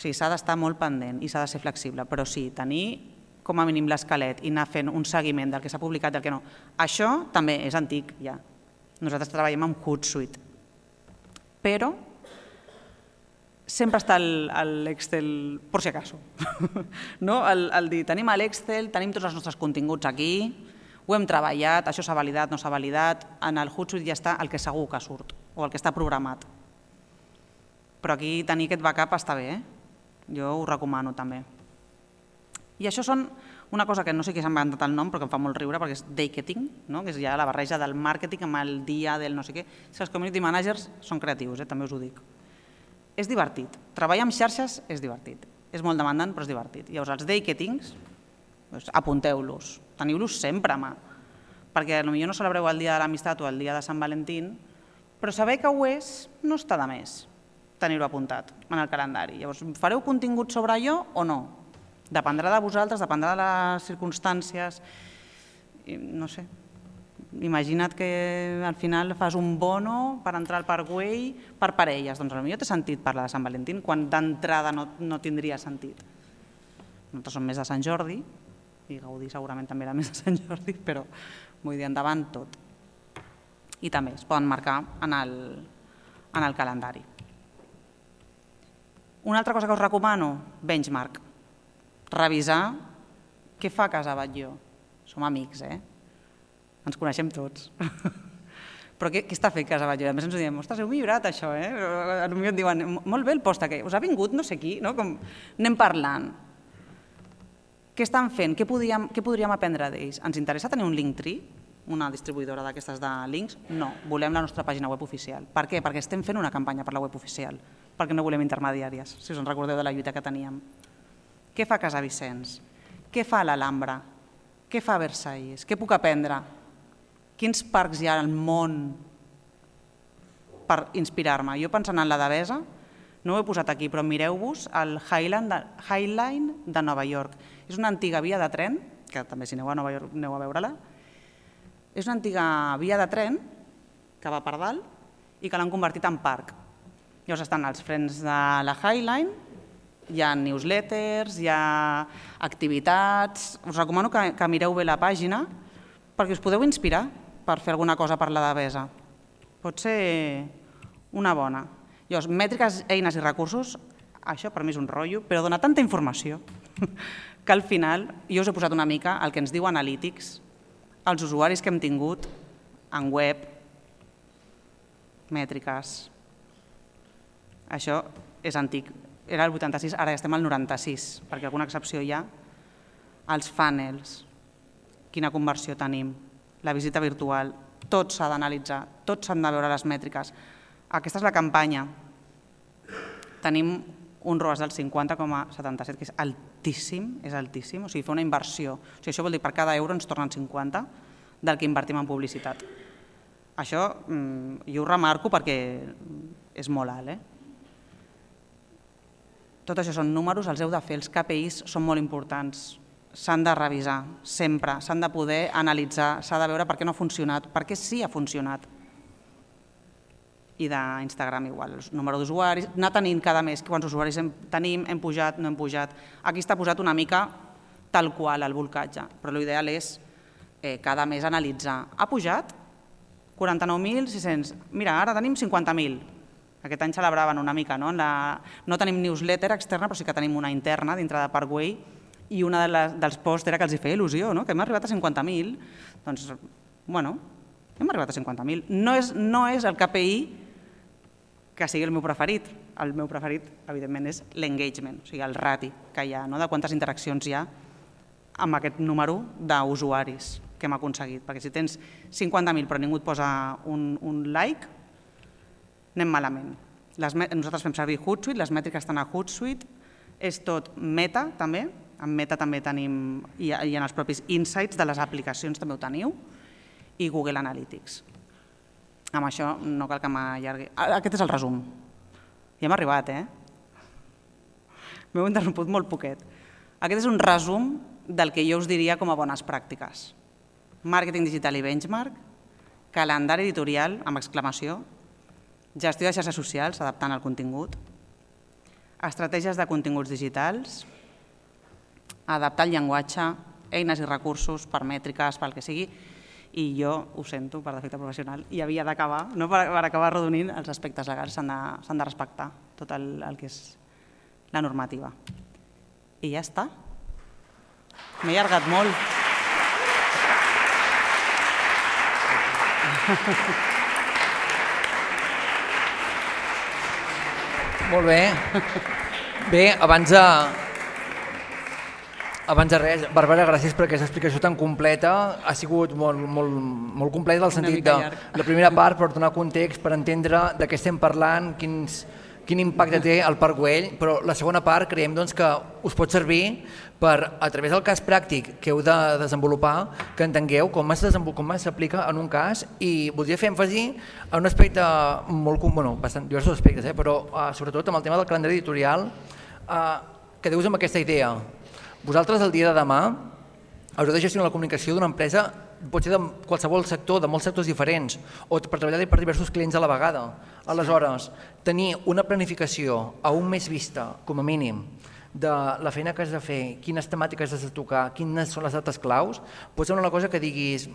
sigui, s'ha d'estar molt pendent i s'ha de ser flexible, però sí, tenir com a mínim l'esquelet i anar fent un seguiment del que s'ha publicat i del que no. Això també és antic, ja. Nosaltres treballem amb Hootsuite. Però sempre està l'Excel, por si acaso. El dir, tenim l'Excel, tenim tots els nostres continguts aquí, ho hem treballat, això s'ha validat, no s'ha validat, en el Hootsuite ja està el que segur que surt, o el que està programat. Però aquí tenir aquest backup està bé, jo ho recomano també. I això són una cosa que no sé qui s'ha inventat el nom, però que em fa molt riure, perquè és daketing, que és ja la barreja del màrqueting amb el dia del no sé què. Els community managers són creatius, també us ho dic. És divertit. Treballar amb xarxes és divertit. És molt demandant, però és divertit. Llavors, els daketings, apunteu-los, teniu-los sempre a mà, perquè potser no celebreu el dia de l'amistat o el dia de Sant Valentín, però saber que ho és no està de més tenir-ho apuntat en el calendari. Llavors, fareu contingut sobre allò o no? Dependrà de vosaltres, dependrà de les circumstàncies. No sé, imagina't que al final fas un bono per entrar al Parkway per parelles. Doncs potser té sentit parlar de Sant Valentín quan d'entrada no tindria sentit. Nosaltres som més de Sant Jordi, i Gaudí segurament també era més de Sant Jordi, però vull dir, endavant tot. I també es poden marcar en el calendari. Una altra cosa que us recomano, benchmark. Revisar què fa Casa Batlló. Som amics, ens coneixem tots. Però què està fent Casa Batlló? A més ens ho diem, ostres, heu millorat això, Potser et diuen, molt bé el post aquest, us ha vingut no sé qui, no? Anem parlant. Què estan fent? Què podríem aprendre d'ells? Ens interessa tenir un Linktree, una distribuïdora d'aquestes de links? No, volem la nostra pàgina web oficial. Per què? Perquè estem fent una campanya per la web oficial, perquè no volem intermediàries, si us en recordeu de la lluita que teníem. Què fa Casa Vicenç? Què fa l'Alhambra? Què fa Versalles? Què puc aprendre? Quins parcs hi ha al món per inspirar-me? Jo pensant en la Devesa, no ho he posat aquí, però mireu-vos el Highline de Nova York. És una antiga via de tren, que també si aneu a Nova York aneu a veure-la, és una antiga via de tren que va per dalt i que l'han convertit en parc. Llavors estan els frens de la Highline, hi ha newsletters, hi ha activitats. Us recomano que mireu bé la pàgina perquè us podeu inspirar per fer alguna cosa per la Devesa. Pot ser una bona. Llavors, mètriques, eines i recursos, això per mi és un rotllo, però dona tanta informació que al final jo us he posat una mica el que ens diu Analytics, els usuaris que hem tingut en web, mètriques. Això és antic. Era el 86, ara ja estem al 96, perquè alguna excepció hi ha. Els funnels, quina conversió tenim, la visita virtual, tot s'ha d'analitzar, tot s'han de veure les mètriques. Aquesta és la campanya. Tenim un ROAS del 50,77, que és altíssim, o sigui, fer una inversió. O sigui, això vol dir que per cada euro ens tornen 50 del que invertim en publicitat. Això jo ho remarco perquè és molt alt, Tot això són números, els heu de fer, els KPIs són molt importants, s'han de revisar sempre, s'han de poder analitzar, s'ha de veure per què no ha funcionat, per què sí ha funcionat. I d'Instagram igual, el número d'usuaris, anar tenint cada mes quants usuaris tenim, hem pujat, no hem pujat. Aquí està posat una mica tal qual el bolcatge, però l'ideal és cada mes analitzar. Ha pujat 49.600, mira, ara tenim 50.000. Aquest any celebraven una mica, no tenim newsletter externa, però sí que tenim una interna dintre de Parkway i un dels posts era que els hi feia il·lusió, que hem arribat a 50.000. Doncs, bueno, hem arribat a 50.000. No és el KPI que sigui el meu preferit. El meu preferit, evidentment, és l'engagement, o sigui, el rati que hi ha, de quantes interaccions hi ha amb aquest número d'usuaris que hem aconseguit. Perquè si tens 50.000 però ningú et posa un like, anem malament. Nosaltres fem servir Hootsuite, les mètriques estan a Hootsuite, és tot Meta també, en Meta també tenim, i en els propis insights de les aplicacions també ho teniu, i Google Analytics. Amb això no cal que m'allargui. Aquest és el resum. Ja hem arribat, M'heu interromput molt poquet. Aquest és un resum del que jo us diria com a bones pràctiques. Màrqueting digital i benchmark, calendari editorial amb exclamació, gestió de xarxes socials, adaptant el contingut, estratègies de continguts digitals, adaptar el llenguatge, eines i recursos per mètriques, pel que sigui, i jo ho sento per defecte professional i havia d'acabar, per acabar arrodonint, els aspectes legals s'han de respectar, tot el que és la normativa. I ja està. M'he allargat molt. Molt bé. Bé, abans de res, Bàrbara, gràcies per aquesta explicació tan completa. Ha sigut molt completa en el sentit de la primera part per donar context, per entendre de què estem parlant, quin impacte té el Parc Güell, però la segona part creiem que us pot servir per, a través del cas pràctic que heu de desenvolupar, que entengueu com s'aplica en un cas, i voldria fer èmfasi en un aspecte bastant diversos aspectes, però sobretot amb el tema del calendari editorial, que deus amb aquesta idea. Vosaltres el dia de demà haureu de gestionar la comunicació d'una empresa, pot ser de qualsevol sector, de molts sectors diferents, o per treballar per diversos clients a la vegada. Aleshores, tenir una planificació a un mes vista, com a mínim, de la feina que has de fer, quines temàtiques has de tocar, quines són les dates claus, pot ser una cosa que diguis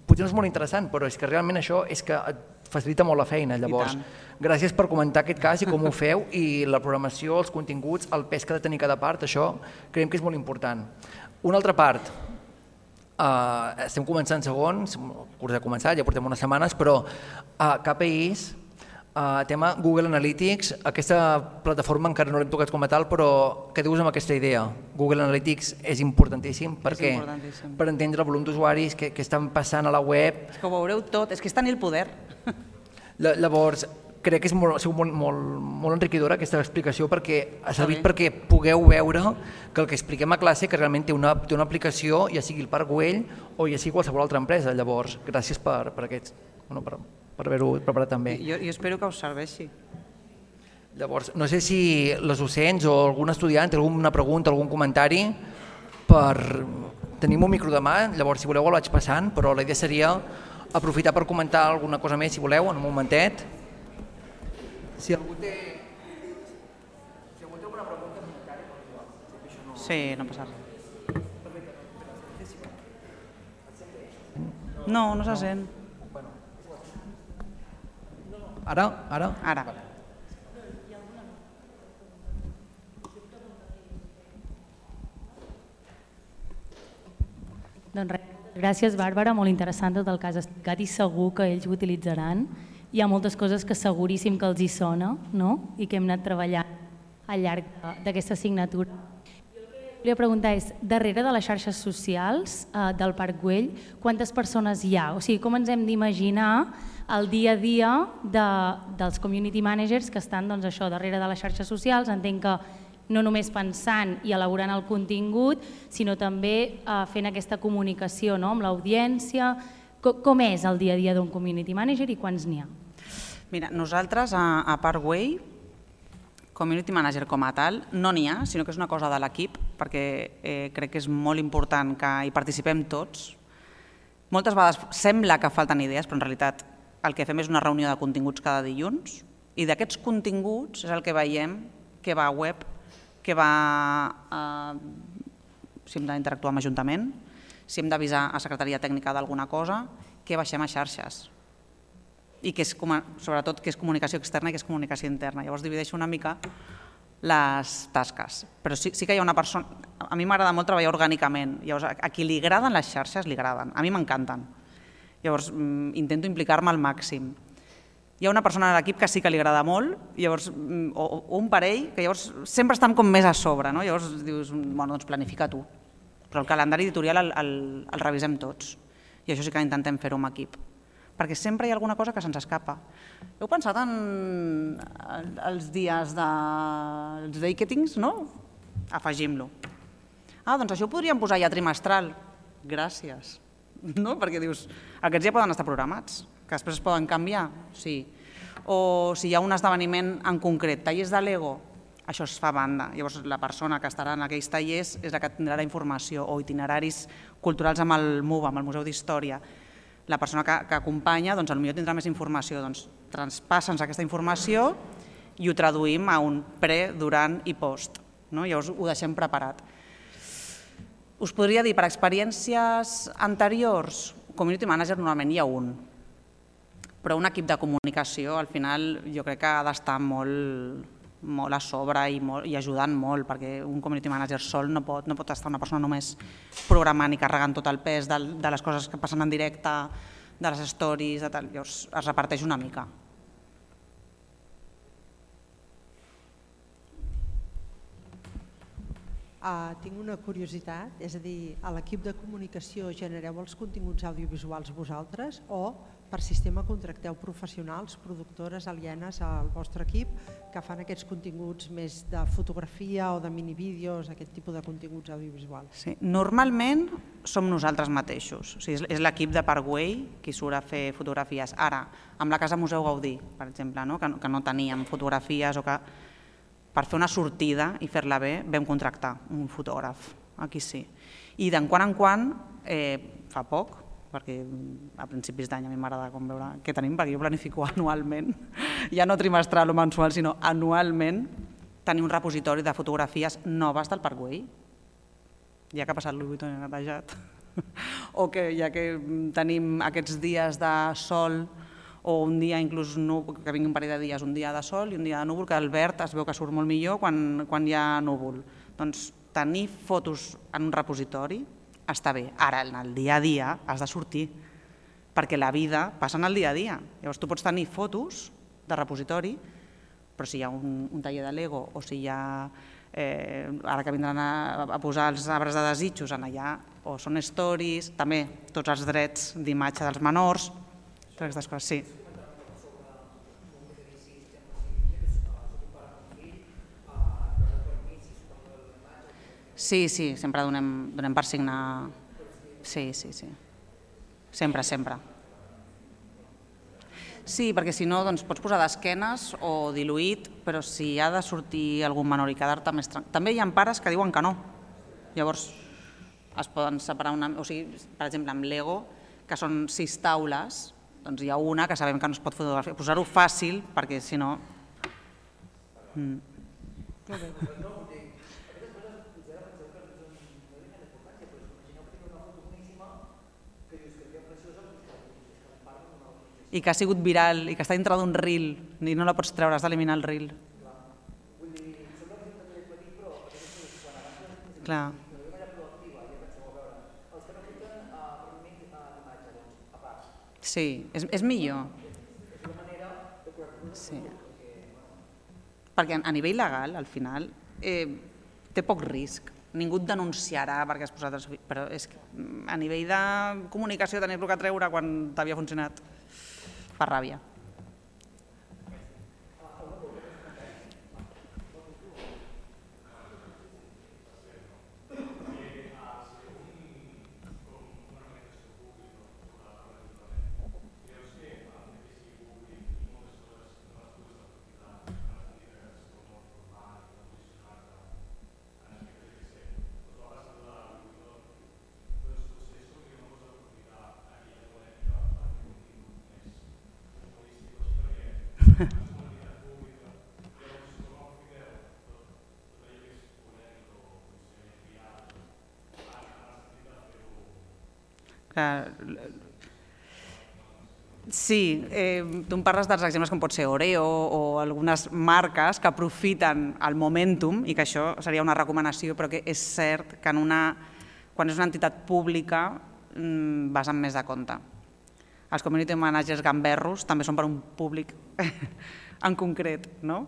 potser no és molt interessant, però és que realment això és que et facilita molt la feina. Llavors, gràcies per comentar aquest cas i com ho feu, i la programació, els continguts, el pes que ha de tenir cada part, això creiem que és molt important. Una altra part, estem començant segon, el curs ha començat, ja portem unes setmanes, però KPIs, tema Google Analytics, aquesta plataforma encara no l'hem tocat com a tal, però què dius amb aquesta idea? Google Analytics és importantíssim perquè per entendre el volum d'usuaris que estan passant a la web. És que ho veureu tot, és que és tenir el poder. Llavors, crec que ha sigut molt enriquidora aquesta explicació perquè ha servit perquè pugueu veure que el que expliquem a classe que realment té una aplicació, ja sigui el Parc Güell o ja sigui qualsevol altra empresa. Llavors, gràcies per haver-ho preparat també. Jo espero que us serveixi. Llavors, no sé si les docents o algun estudiant té alguna pregunta, algun comentari. Tenim un micro de mà, llavors si voleu el vaig passant, però la idea seria aprofitar per comentar alguna cosa més, si voleu, en un momentet. Si algú té alguna pregunta, comentari. Sí, no passa res. No se sent. Ara? Ara. Doncs res, gràcies Bàrbara, molt interessant tot el que has explicat i segur que ells ho utilitzaran. Hi ha moltes coses que seguríssim que els hi sona, no? I que hem anat treballant al llarg d'aquesta assignatura. Jo el que volia preguntar és, darrere de les xarxes socials del Parc Güell, quantes persones hi ha? O sigui, com ens hem d'imaginar el dia a dia dels community managers que estan darrere de les xarxes socials? Entenc que no només pensant i elaborant el contingut, sinó també fent aquesta comunicació amb l'audiència. Com és el dia a dia d'un community manager i quants n'hi ha? Mira, nosaltres a Parc Güell, community manager com a tal, no n'hi ha, sinó que és una cosa de l'equip, perquè crec que és molt important que hi participem tots. Moltes vegades sembla que falten idees, però en realitat el que fem és una reunió de continguts cada dilluns i d'aquests continguts és el que veiem que va a web, que va si hem d'interactuar amb Ajuntament, si hem d'avisar a Secretaria Tècnica d'alguna cosa, que baixem a xarxes. I que és, sobretot, que és comunicació externa i que és comunicació interna. Llavors divideixo una mica les tasques. Però sí que hi ha una persona... A mi m'agrada molt treballar orgànicament. Llavors, a qui li agraden les xarxes, li agraden. A mi m'encanten. Llavors, intento implicar-me al màxim. Hi ha una persona a l'equip que sí que li agrada molt, o un parell, que llavors sempre estan com més a sobre. Llavors dius, bueno, doncs planifica tu. Però el calendari editorial el revisem tots. I això sí que intentem fer-ho amb equip. Perquè sempre hi ha alguna cosa que se'ns escapa. Heu pensat en els dies dels day-kettings, no? Afegim-lo. Doncs això ho podríem posar ja trimestral. Gràcies. No? Perquè dius, aquests ja poden estar programats, que després es poden canviar, sí. O si hi ha un esdeveniment en concret, tallers de Lego, això es fa a banda. Llavors la persona que estarà en aquells tallers és la que tindrà la informació, o itineraris culturals amb el MUVA, amb el Museu d'Història. La persona que acompanya, doncs potser tindrà més informació, doncs traspassa'ns aquesta informació i ho traduïm a un pre, durant i post. Llavors ho deixem preparat. Us podria dir, per experiències anteriors, community manager normalment hi ha un, però un equip de comunicació al final jo crec que ha d'estar molt a sobre i ajudant molt, perquè un community manager sol no pot estar una persona només programant i carregant tot el pes de les coses que passen en directe, de les stories, llavors es reparteix una mica. Tinc una curiositat, és a dir, a l'equip de comunicació genereu els continguts audiovisuals vosaltres o per sistema contracteu professionals, productores alienes al vostre equip que fan aquests continguts més de fotografia o de minivídeos, aquest tipus de continguts audiovisuals? Sí, normalment som nosaltres mateixos, és l'equip de Parc Güell qui surt a fer fotografies. Ara, amb la Casa Museu Gaudí, per exemple, que no teníem fotografies o que per fer una sortida i fer-la bé vam contractar un fotògraf, aquí sí. I de quan en quan, fa poc, perquè a principis d'any a mi m'agrada veure què tenim, perquè jo planifico anualment, ja no trimestral o mensual, sinó anualment, tenir un repositori de fotografies noves del Parkway, ja que ha passat Louis Vuitton i netejat, o que ja que tenim aquests dies de sol o un dia inclús que vingui un parell de dies, un dia de sol i un dia de núvol, que el verd es veu que surt molt millor quan hi ha núvol. Doncs tenir fotos en un repositori està bé. Ara, en el dia a dia has de sortir, perquè la vida passa en el dia a dia. Llavors tu pots tenir fotos de repositori, però si hi ha un taller de Lego o si hi ha, ara que vindran a posar els arbres de desitjos en allà, o són stories, també tots els drets d'imatge dels menors, totes aquestes coses, sí. Sí, sempre donem per signar. Sí. Sempre. Sí, perquè si no pots posar d'esquenes o diluït, però si ha de sortir algun menor i quedar-te més tranquil. També hi ha pares que diuen que no. Llavors es poden separar o sigui, per exemple, amb Lego, que són 6 taules, doncs hi ha una que sabem que no es pot fotografiar. Posar-ho fàcil, perquè si no... I que ha sigut viral i que està dintre d'un reel i no la pots treure, has d'eliminar el reel. Clar. Sí, és millor. Sí. Perquè a nivell legal, al final, té poc risc. Ningú et denunciarà perquè has posat... Però és que a nivell de comunicació tenir-lo que treure quan t'havia funcionat fa ràbia. Sí, tu em parles dels exemples com pot ser Oreo o algunes marques que aprofiten el momentum i que això seria una recomanació, però que és cert que quan és una entitat pública vas amb més de compte. Els community managers gamberros també són per un públic en concret, no?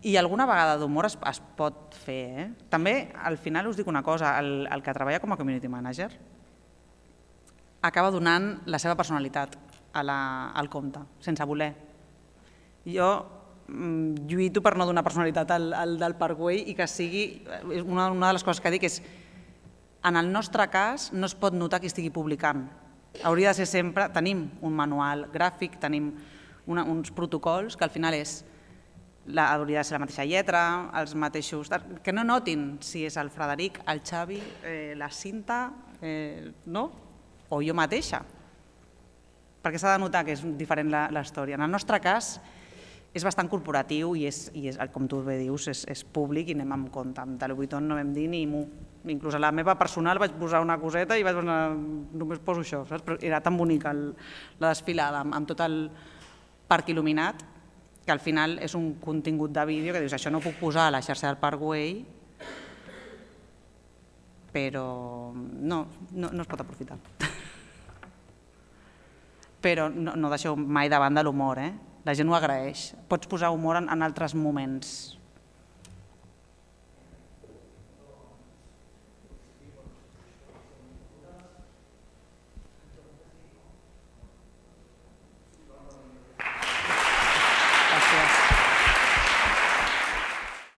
I alguna vegada d'humor es pot fer. També, al final us dic una cosa, el que treballa com a community manager acaba donant la seva personalitat al compte, sense voler. Jo lluito per no donar personalitat al del Parkway i que sigui, una de les coses que dic és, en el nostre cas no es pot notar qui estigui publicant. Hauria de ser sempre, tenim un manual gràfic, tenim uns protocols que al final hauria de ser la mateixa lletra, els mateixos... Que no notin si és el Frederic, el Xavi, la Cinta, no? O jo mateixa, perquè s'ha de notar que és diferent la història. En el nostre cas és bastant corporatiu i com tu bé dius, és públic i anem amb compte. Amb Louis Vuitton no vam dir ni mu. Inclús a la meva personal vaig posar una coseta i vaig posar, només poso això, saps? Però era tan bonica la desfilada amb tot el parc il·luminat que al final és un contingut de vídeo que dius això no ho puc posar a la xarxa del Parkway, però no es pot aprofitar. Però no deixeu mai de banda l'humor, la gent ho agraeix. Pots posar humor en altres moments